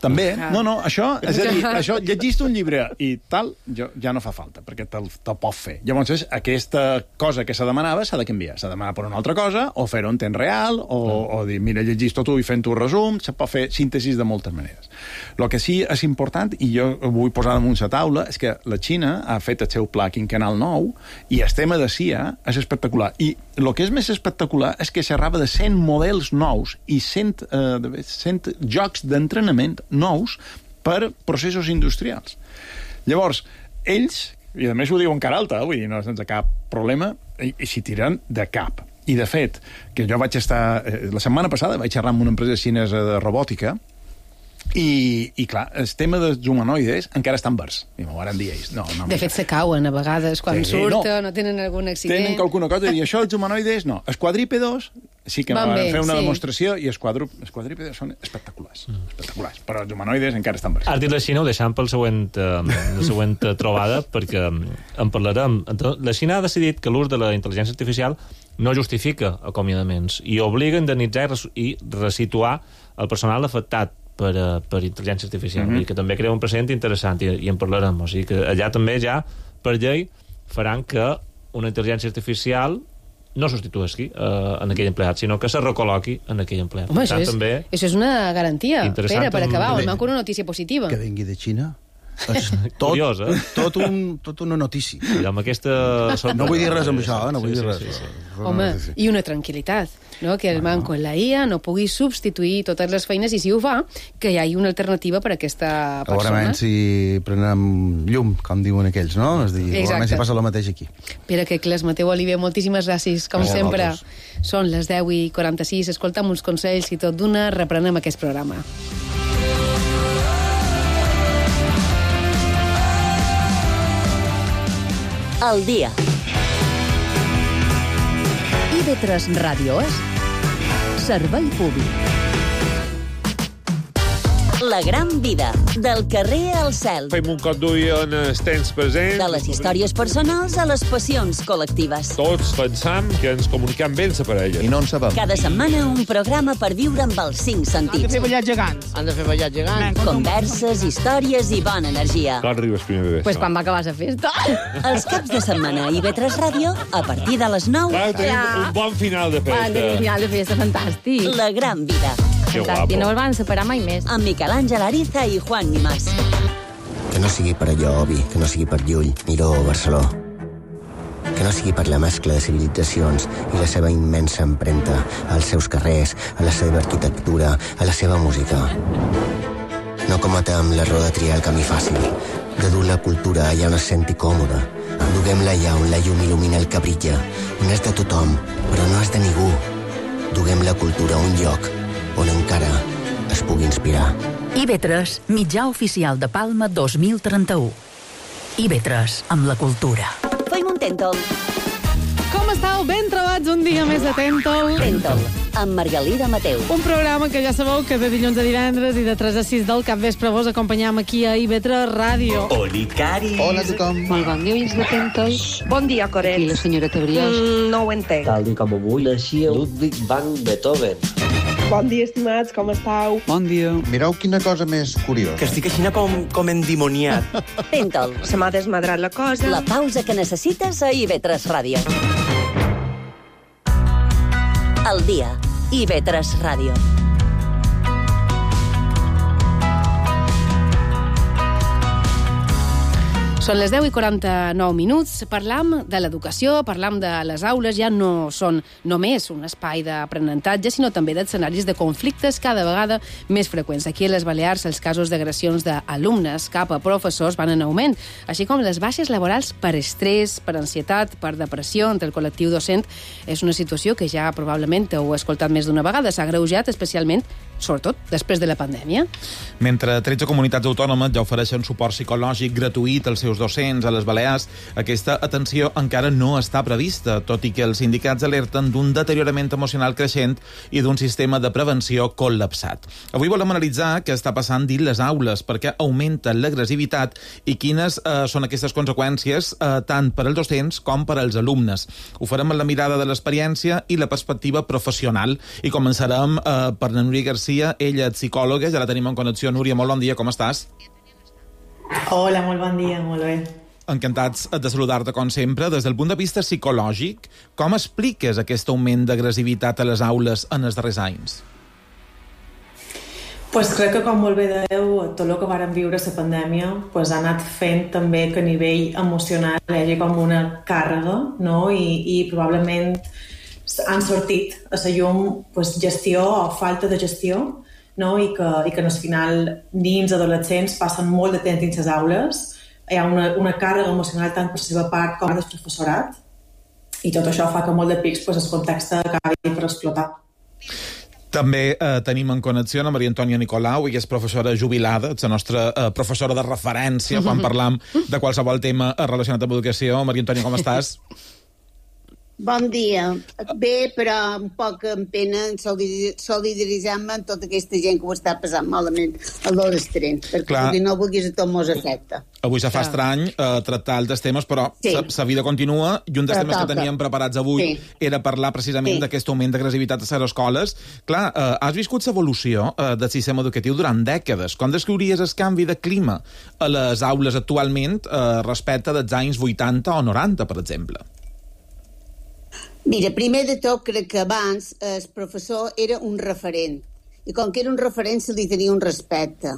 També, no, no, això, és a dir, això, llegis-te un llibre i tal, jo, ja no fa falta, perquè te'l te pot fer. Llavors, aquesta cosa que se demanava s'ha de canviar, s'ha de demanar per una altra cosa, o fer-ho en temps real, o, o dir, mira, llegis-te tu i fent-ho resum, se pot fer síntesis de moltes maneres. El que sí és important, i jo ho vull posar damunt la taula, és que la Xina ha fet el seu pla quinquennal nou, i el tema de C I A és espectacular. I el que és més espectacular és que xerrava de cent models nous i cent, eh, cent jocs d'entrenament nous per processos industrials. Llavors, ells, i a més ho diuen cara alta, vull dir, no sense cap problema, i, i s'hi tiren de cap. I, de fet, que jo vaig estar... Eh, la setmana passada vaig xerrar amb una empresa xinesa de robòtica i, i clar, el tema dels humanoides encara està en vers. I m'ho van dir ells. No, no, de fet, se cauen a vegades quan sí, surten, no. no tenen algun accident. Tenen alguna cosa i dir, això els humanoides no. Els quadrípedos sí que van, van bé, fer una sí. demostració i els, quadru... els quadrípedos són espectaculars. Mm. espectaculars. Però els humanoides encara estan vers. Has dit la Xina, ho deixem pel següent, uh, la següent trobada, perquè en parlarem. La Xina ha decidit que l'ús de la intel·ligència artificial no justifica acomiadaments i obliga a indemnitzar i resituar el personal afectat per, uh, per intel·ligència artificial, mm -hmm. i que també crea un precedent interessant, i, i en parlarem. O sigui que allà també ja, per llei, faran que una intel·ligència artificial no substitueixi uh, en aquell empleat, sinó que se recol·loqui en aquell empleat. Home, això, tant, és, també això és una garantia. Pere, per acabar, on manca una notícia positiva. Que vingui de Xina. Tot, Curiós, eh? Tot, un, tot una notícia. I amb aquesta... No vull dir res amb això, eh? No vull sí, dir res. Sí, sí, sí. Home, i una tranquil·litat, no? Que el manco en la I A no pugui substituir totes les feines, i si ho fa, que hi hagi una alternativa per a aquesta persona. Segurament si prenem llum, com diuen aquells, no? És dir, segurament si passa el mateix aquí. Pere Quecles, Mateu Oliver, moltíssimes gràcies, com gràcies sempre. Són les deu i quaranta-sis, escoltam uns consells i tot d'una, reprenem aquest programa. El dia. I V tres Ràdio és servei públic. La gran vida, del carrer al cel. Fem un cop d'ull en els temps presents. De les històries personals a les passions col·lectives. Tots pensam que ens comunicam bé per a elles. I no en sabem. Cada setmana un programa per viure amb els cinc sentits. Han de fer ballar gegants. Han de fer ballar gegants. Converses, històries i bona energia. Quan arribes primer de Pues quan va acabar la festa. Els caps de setmana a I V tres Ràdio, a partir de les nou. Clar, tenim ja. un bon final de festa. Un final de festa fantàstic. La gran vida. Fantàstic, no el van separar mai més. Amb Miquel Àngel Ariza i Juan Nimás. Que no sigui per allò, Obi, que no sigui per Llull, Miró o Barceló. Que no sigui per la mescla de civilitzacions i la seva immensa empremta als seus carrers, a la seva arquitectura, a la seva música. No cometem l'error de triar el camí fàcil, de dur la cultura allà on es senti còmode. Duguem-la allà on la llum il·lumina el que brilla, on és de tothom, però no és de ningú. Duguem la cultura a un lloc on encara es pugui inspirar. I V tres, mitjà oficial de Palma dos mil trenta-u. I V tres, amb la cultura. Fem un tèntol. Com estàu? Ben trobats un dia més de Tèntol. Tèntol, amb Margalida Mateu. Un programa que ja sabeu que de dilluns a divendres i de tres a sis del capvespre vos acompanyam aquí a I V tres Ràdio. Oli, Cari. Hola a tothom. Molt bon dia, ulls de Tèntol. Bon dia, Coret. I la senyora Tebriós. Mm, no ho entenc. Tal i com avui naixia Ludwig van Beethoven. Bon dia, estimats, com esteu? Bon dia. Mireu quina cosa més curiosa. Que estic així com, com endimoniat. Tenta'l. Se m'ha desmadrat la cosa. La pausa que necessites a I V tres Ràdio. El dia. I V tres Ràdio. Són les deu i quaranta-nou minuts. Parlam de l'educació, parlam de les aules. Ja no són només un espai d'aprenentatge, sinó també d'escenaris de conflictes cada vegada més freqüents. Aquí a les Balears els casos d'agressions d'alumnes cap a professors van en augment, així com les baixes laborals per estrès, per ansietat, per depressió entre el col·lectiu docent. És una situació que ja probablement heu escoltat més d'una vegada. S'ha agreujat especialment, sobretot, després de la pandèmia. Mentre tretze comunitats autònomes ja ofereixen suport psicològic gratuït als seus docents a les Balears, aquesta atenció encara no està prevista, tot i que els sindicats alerten d'un deteriorament emocional creixent i d'un sistema de prevenció col·lapsat. Avui volem analitzar què està passant dins les aules, perquè augmenta l'agressivitat i quines eh, són aquestes conseqüències eh, tant per als docents com per als alumnes. Ho farem amb la mirada de l'experiència i la perspectiva professional. I començarem eh, per la Núria Garcia, ella és psicòloga, ja la tenim en connexió. Núria, molt bon dia, com estàs? Hola, molt bon dia, molt bé. Encantats de saludar-te, com sempre. Des del punt de vista psicològic, com expliques aquest augment d'agressivitat a les aules en els darrers anys? Pues crec que, com molt bé dèieu, tot el que vàrem viure a la pandèmia pues, ha anat fent també que a nivell emocional hi hagi com una càrrega, no? I, i probablement han sortit a la llum pues, gestió o falta de gestió, no? I que, i que al final nins, adolescents passen molt de temps dins les aules, hi ha una, una càrrega emocional tant per la seva part com del professorat, i tot això fa que molt de pics pues, el context acabi per explotar. També eh, tenim en connexió a Maria Antònia Nicolau, ella és professora jubilada, és la nostra eh, professora de referència quan parlam de qualsevol tema relacionat amb educació. Maria Antònia, com estàs? Bon dia. Bé, però un poc amb pena solidaritzar-me amb tota aquesta gent que ho està passant malament a l'Orestrent, perquè Clar. no vulguis a tot mos afecta. Avui se fa estrany eh, tractar altres temes, però sí. la vida continua, i un dels però temes toca. que teníem preparats avui sí. era parlar precisament sí. d'aquest augment d'agressivitat a les escoles. Clar, eh, has viscut l'evolució eh, del sistema educatiu durant dècades. Com descriuries el canvi de clima a les aules actualment eh, respecte dels anys vuitanta o noranta, per exemple? Mira, primer de tot, crec que abans el professor era un referent, i com que era un referent se li tenia un respecte.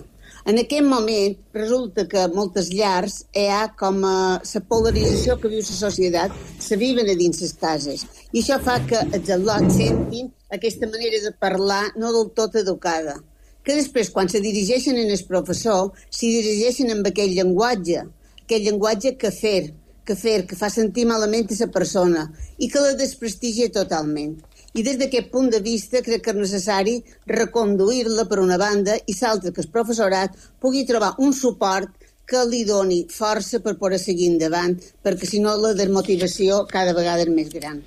En aquest moment resulta que a moltes llars hi ha com a la polarització que viu la societat, se viven a dins les cases, i això fa que els al·lots sentin aquesta manera de parlar no del tot educada, que després, quan se dirigeixen en el professor, s'hi dirigeixen amb aquell llenguatge, aquell llenguatge que fer, que fer, que fa sentir malament a la persona i que la desprestigia totalment. I des d'aquest punt de vista crec que és necessari reconduir-la per una banda i l'altra que el professorat pugui trobar un suport que li doni força per poder seguir endavant, perquè si no la desmotivació cada vegada és més gran.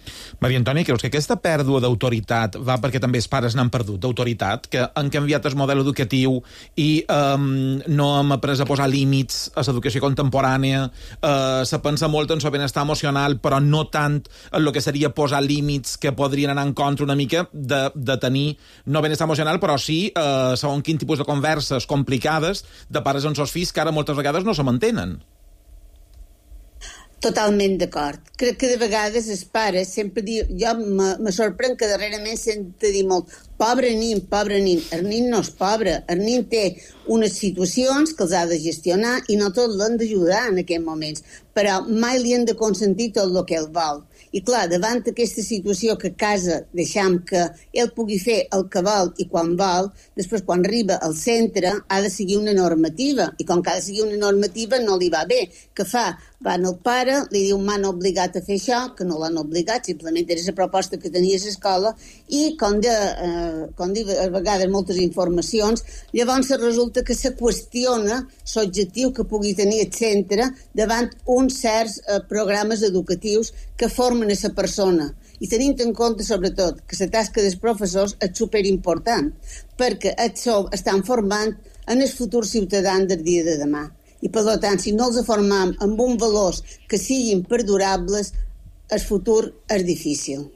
Maria Antònia, creus que aquesta pèrdua d'autoritat va perquè també els pares n'han perdut d'autoritat, que han canviat el model educatiu i um, no hem après a posar límits a l'educació contemporània, uh, se pensa molt en el benestar emocional, però no tant en el que seria posar límits que podrien anar en contra una mica de, de tenir no benestar emocional, però sí uh, segons quin tipus de converses complicades de pares amb els fills que ara moltes vegades no se mantenen. Totalment d'acord. Crec que de vegades els pares sempre diuen... Jo me, me sorprèn que darrerament sento dir molt pobre nin, pobre nin. El nin no és pobre. El nin té unes situacions que els ha de gestionar i no tot l'han d'ajudar en aquests moments. Però mai li han de consentir tot el que ell vol. I clar, davant d'aquesta situació que a casa deixam que ell pugui fer el que vol i quan vol, després quan arriba al centre ha de seguir una normativa. I com que ha de seguir una normativa no li va bé. Què fa? Va al pare, li diu m'han obligat a fer això, que no l'han obligat, simplement era la proposta que tenia a l'escola, i com, de, eh, com diu a vegades moltes informacions, llavors resulta que se qüestiona l'objectiu que pugui tenir el centre davant uns certs eh, programes educatius que formen a la persona. I tenint en compte, sobretot, que la tasca dels professors és superimportant, perquè estan formant en el futur ciutadà del dia de demà. I, per tant, si no els formam amb uns valors que siguin perdurables, el futur és difícil.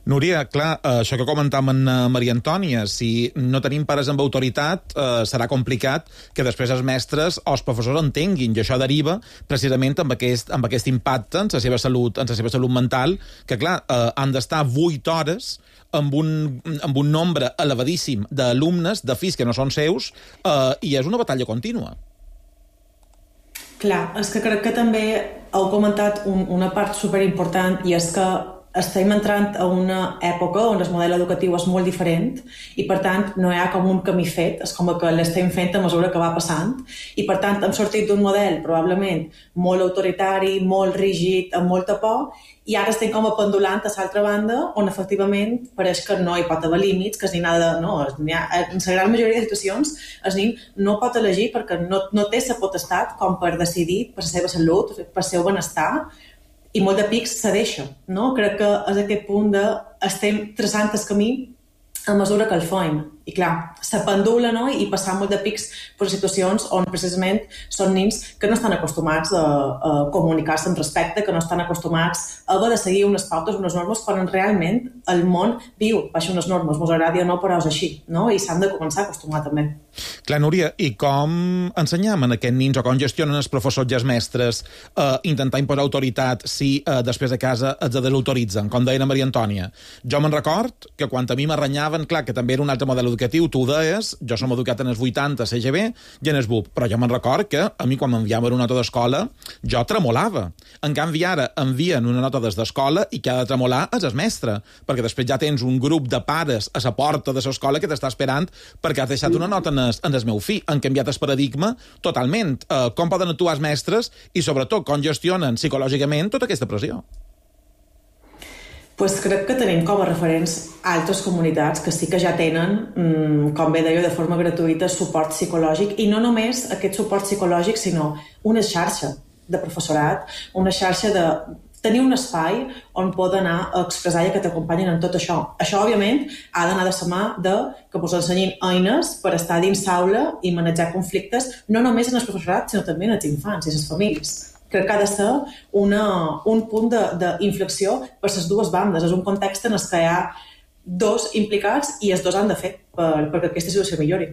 Núria, clar, això que comentàvem en Maria Antònia, si no tenim pares amb autoritat, eh, serà complicat que després els mestres o els professors entenguin, i això deriva precisament amb aquest, amb aquest impacte en la seva salut, en la seva salut mental, que clar, eh, han d'estar vuit hores amb un, amb un nombre elevadíssim d'alumnes, de fills que no són seus, eh, i és una batalla contínua. Clar, és que crec que també heu comentat un, una part superimportant, i és que estem entrant a una època on el model educatiu és molt diferent i, per tant, no hi ha com un camí fet, és com que l'estem fent a mesura que va passant, i, per tant, hem sortit d'un model probablement molt autoritari, molt rígid, amb molta por, i ara estem com a pendulant a l'altra banda, on efectivament pareix que no hi pot haver límits, que es ni nada, no, ha, en la gran majoria de situacions el nen no pot elegir perquè no, no té la potestat com per decidir per la seva salut, per el seu benestar, i molt de pics se deixa, no? Crec que és aquest punt de estem traçant el camí a mesura que el fem. I clar, se pendula, no? I passar molt de pics per situacions on precisament són nens que no estan acostumats a, a comunicar-se amb respecte, que no estan acostumats a haver de seguir unes pautes, unes normes, quan realment el món viu baix unes normes, mos agradi o no, però és així, no? I s'han de començar a acostumar també. Clar, Núria, i com ensenyam a aquests nens o com gestionen els professors i els mestres eh, intentar imposar autoritat si eh, després de casa els desautoritzen, com deia Maria Antònia? Jo me'n record que quan a mi m'arranyaven, clar, que també era un altre model educatiu, tu ho deies, jo som educat en els vuitanta, C G B i en els B U P, però jo me'n record que a mi quan m'enviaven una nota d'escola jo tremolava. En canvi ara envien una nota des d'escola i que ha de tremolar és el mestre, perquè després ja tens un grup de pares a la porta de l'escola que t'està esperant perquè has deixat una nota en el, en el meu fill. Han canviat el paradigma totalment. Uh, com poden actuar els mestres i sobretot com gestionen psicològicament tota aquesta pressió? Pues crec que tenim com a referents altres comunitats que sí que ja tenen, com bé deia, de forma gratuïta, suport psicològic, i no només aquest suport psicològic, sinó una xarxa de professorat, una xarxa de tenir un espai on poden anar a expressar i que t'acompanyen en tot això. Això, òbviament, ha d'anar de la mà de que us ensenyin eines per estar dins l'aula i manejar conflictes, no només en el professorat, sinó també en els infants i les famílies. Crec que ha de ser una, un punt d'inflexió per les dues bandes. És un context en el que hi ha dos implicats i els dos han de fer per, perquè aquesta situació millori.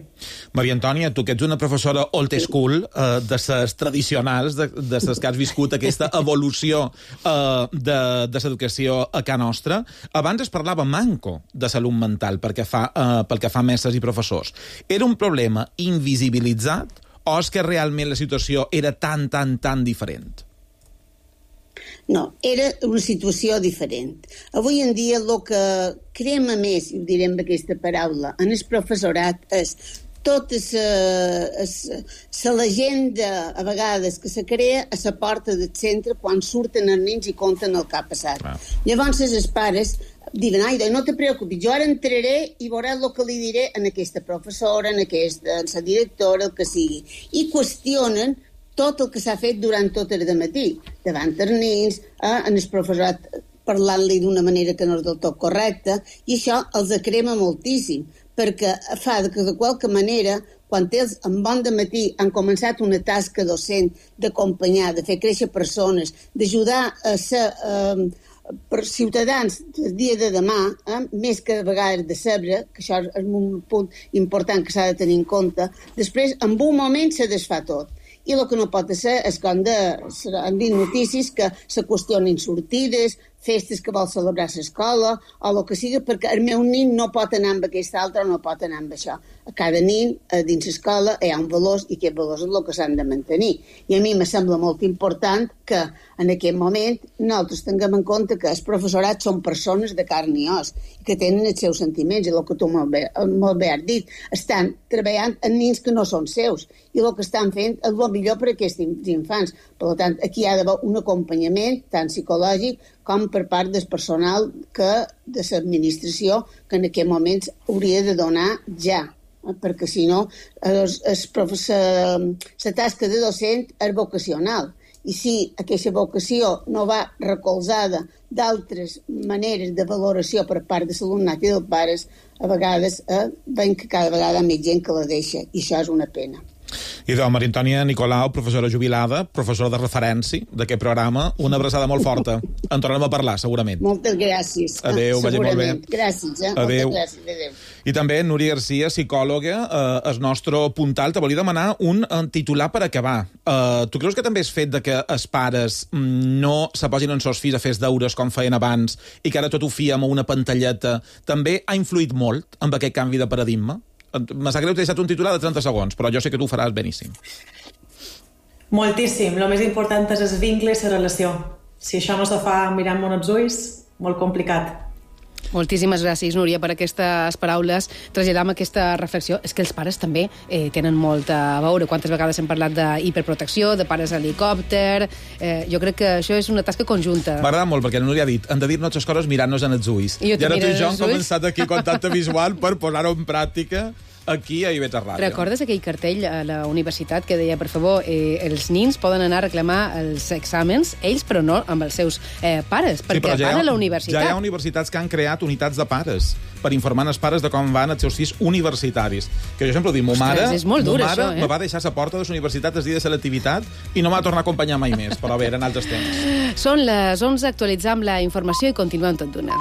Maria Antònia, tu que ets una professora old school, eh, de ses tradicionals, de, de ses que has viscut aquesta evolució eh, de, de l'educació a casa nostra, abans es parlava manco de salut mental pel que fa, eh, pel que fa a mestres i professors. Era un problema invisibilitzat o és que realment la situació era tan, tan, tan diferent? No, era una situació diferent. Avui en dia el que crema més, i ho direm amb aquesta paraula, en el professorat és tota la legenda, a vegades, que se crea a la porta del centre quan surten els nens i conten el que ha passat. Ah. Llavors els pares diuen, ai, no te preocupis, jo ara entraré i veuràs el que li diré a aquesta professora, a aquesta, a la directora, el que sigui. I qüestionen tot el que s'ha fet durant tot el matí, davant els nens, eh, en el professorat parlant-li d'una manera que no és del tot correcta, i això els crema moltíssim, perquè fa que de qualque manera, quan ells en bon dematí han començat una tasca docent d'acompanyar, de fer créixer persones, d'ajudar a ser eh, per ciutadans del dia de demà, eh, més que de vegades de saber, que això és un punt important que s'ha de tenir en compte, després en un moment se desfà tot. I el que no pot ser és com de, han dit notícies que se qüestionen sortides, festes que vol celebrar a l'escola, o el que sigui, perquè el meu nen no pot anar amb aquesta altra o no pot anar amb això. A cada nen, dins l'escola, hi ha un valor i aquest valor és el que s'han de mantenir. I a mi me sembla molt important que en aquest moment nosaltres tinguem en compte que els professorats són persones de carn i os, que tenen els seus sentiments, i el que tu molt bé, molt bé has dit, estan treballant en nens que no són seus, i el que estan fent és el millor per a aquests infants. Per tant, aquí hi ha d'haver un acompanyament, tant psicològic com per part del personal que de l'administració, que en aquest moment hauria de donar ja, eh? Perquè si no, la tasca de docent és vocacional. I si aquesta vocació no va recolzada d'altres maneres de valoració per part de l'alumnat i dels pares, a vegades eh, veiem que cada vegada hi ha més gent que la deixa, i això és una pena. I de Maria Antònia Nicolau, professora jubilada, professora de referència d'aquest programa, una abraçada molt forta. En tornarem a parlar, segurament. Moltes gràcies. Adéu, vagi molt bé. Gràcies, eh? Adéu. Moltes gràcies. Adéu. I també Núria Garcia, psicòloga, eh, el nostre puntal, te volia demanar un eh, titular per acabar. Eh, tu creus que també és fet de que els pares mm, no se posin els seus fills a fer els deures com feien abans i que ara tot ho fiem a una pantalleta, també ha influït molt amb aquest canvi de paradigma? Me sap greu, t'he deixat un titular de trenta segons, però jo sé que tu ho faràs beníssim. Moltíssim. El més important és el vincle i la relació. Si això no se fa mirant-me els ulls, molt complicat. Moltíssimes gràcies, Núria, per aquestes paraules. Traslladam aquesta reflexió. És que els pares també eh, tenen molt a veure. Quantes vegades hem parlat d'hiperprotecció, de pares a helicòpter... Eh, jo crec que això és una tasca conjunta. M'agrada molt, perquè la Núria ha dit hem de dir-nos les coses mirant-nos en els ulls. I, I ara tu i jo hem començat aquí contacte visual per posar-ho en pràctica aquí a I V tres Ràdio. Recordes aquell cartell a la universitat que deia, per favor, eh, els nins poden anar a reclamar els exàmens, ells, però no amb els seus eh, pares, perquè sí, ja van ha, a la universitat. Ja hi ha universitats que han creat unitats de pares per informar els pares de com van els seus fills universitaris. Que jo sempre ho dic, mo mare, és molt dur, mo mare això, eh? me va deixar a la porta de la universitat el dia de selectivitat i no m'ha tornat a acompanyar mai més, però bé, eren altres temps. Són les onze, actualitzam la informació i continuem tot d'una.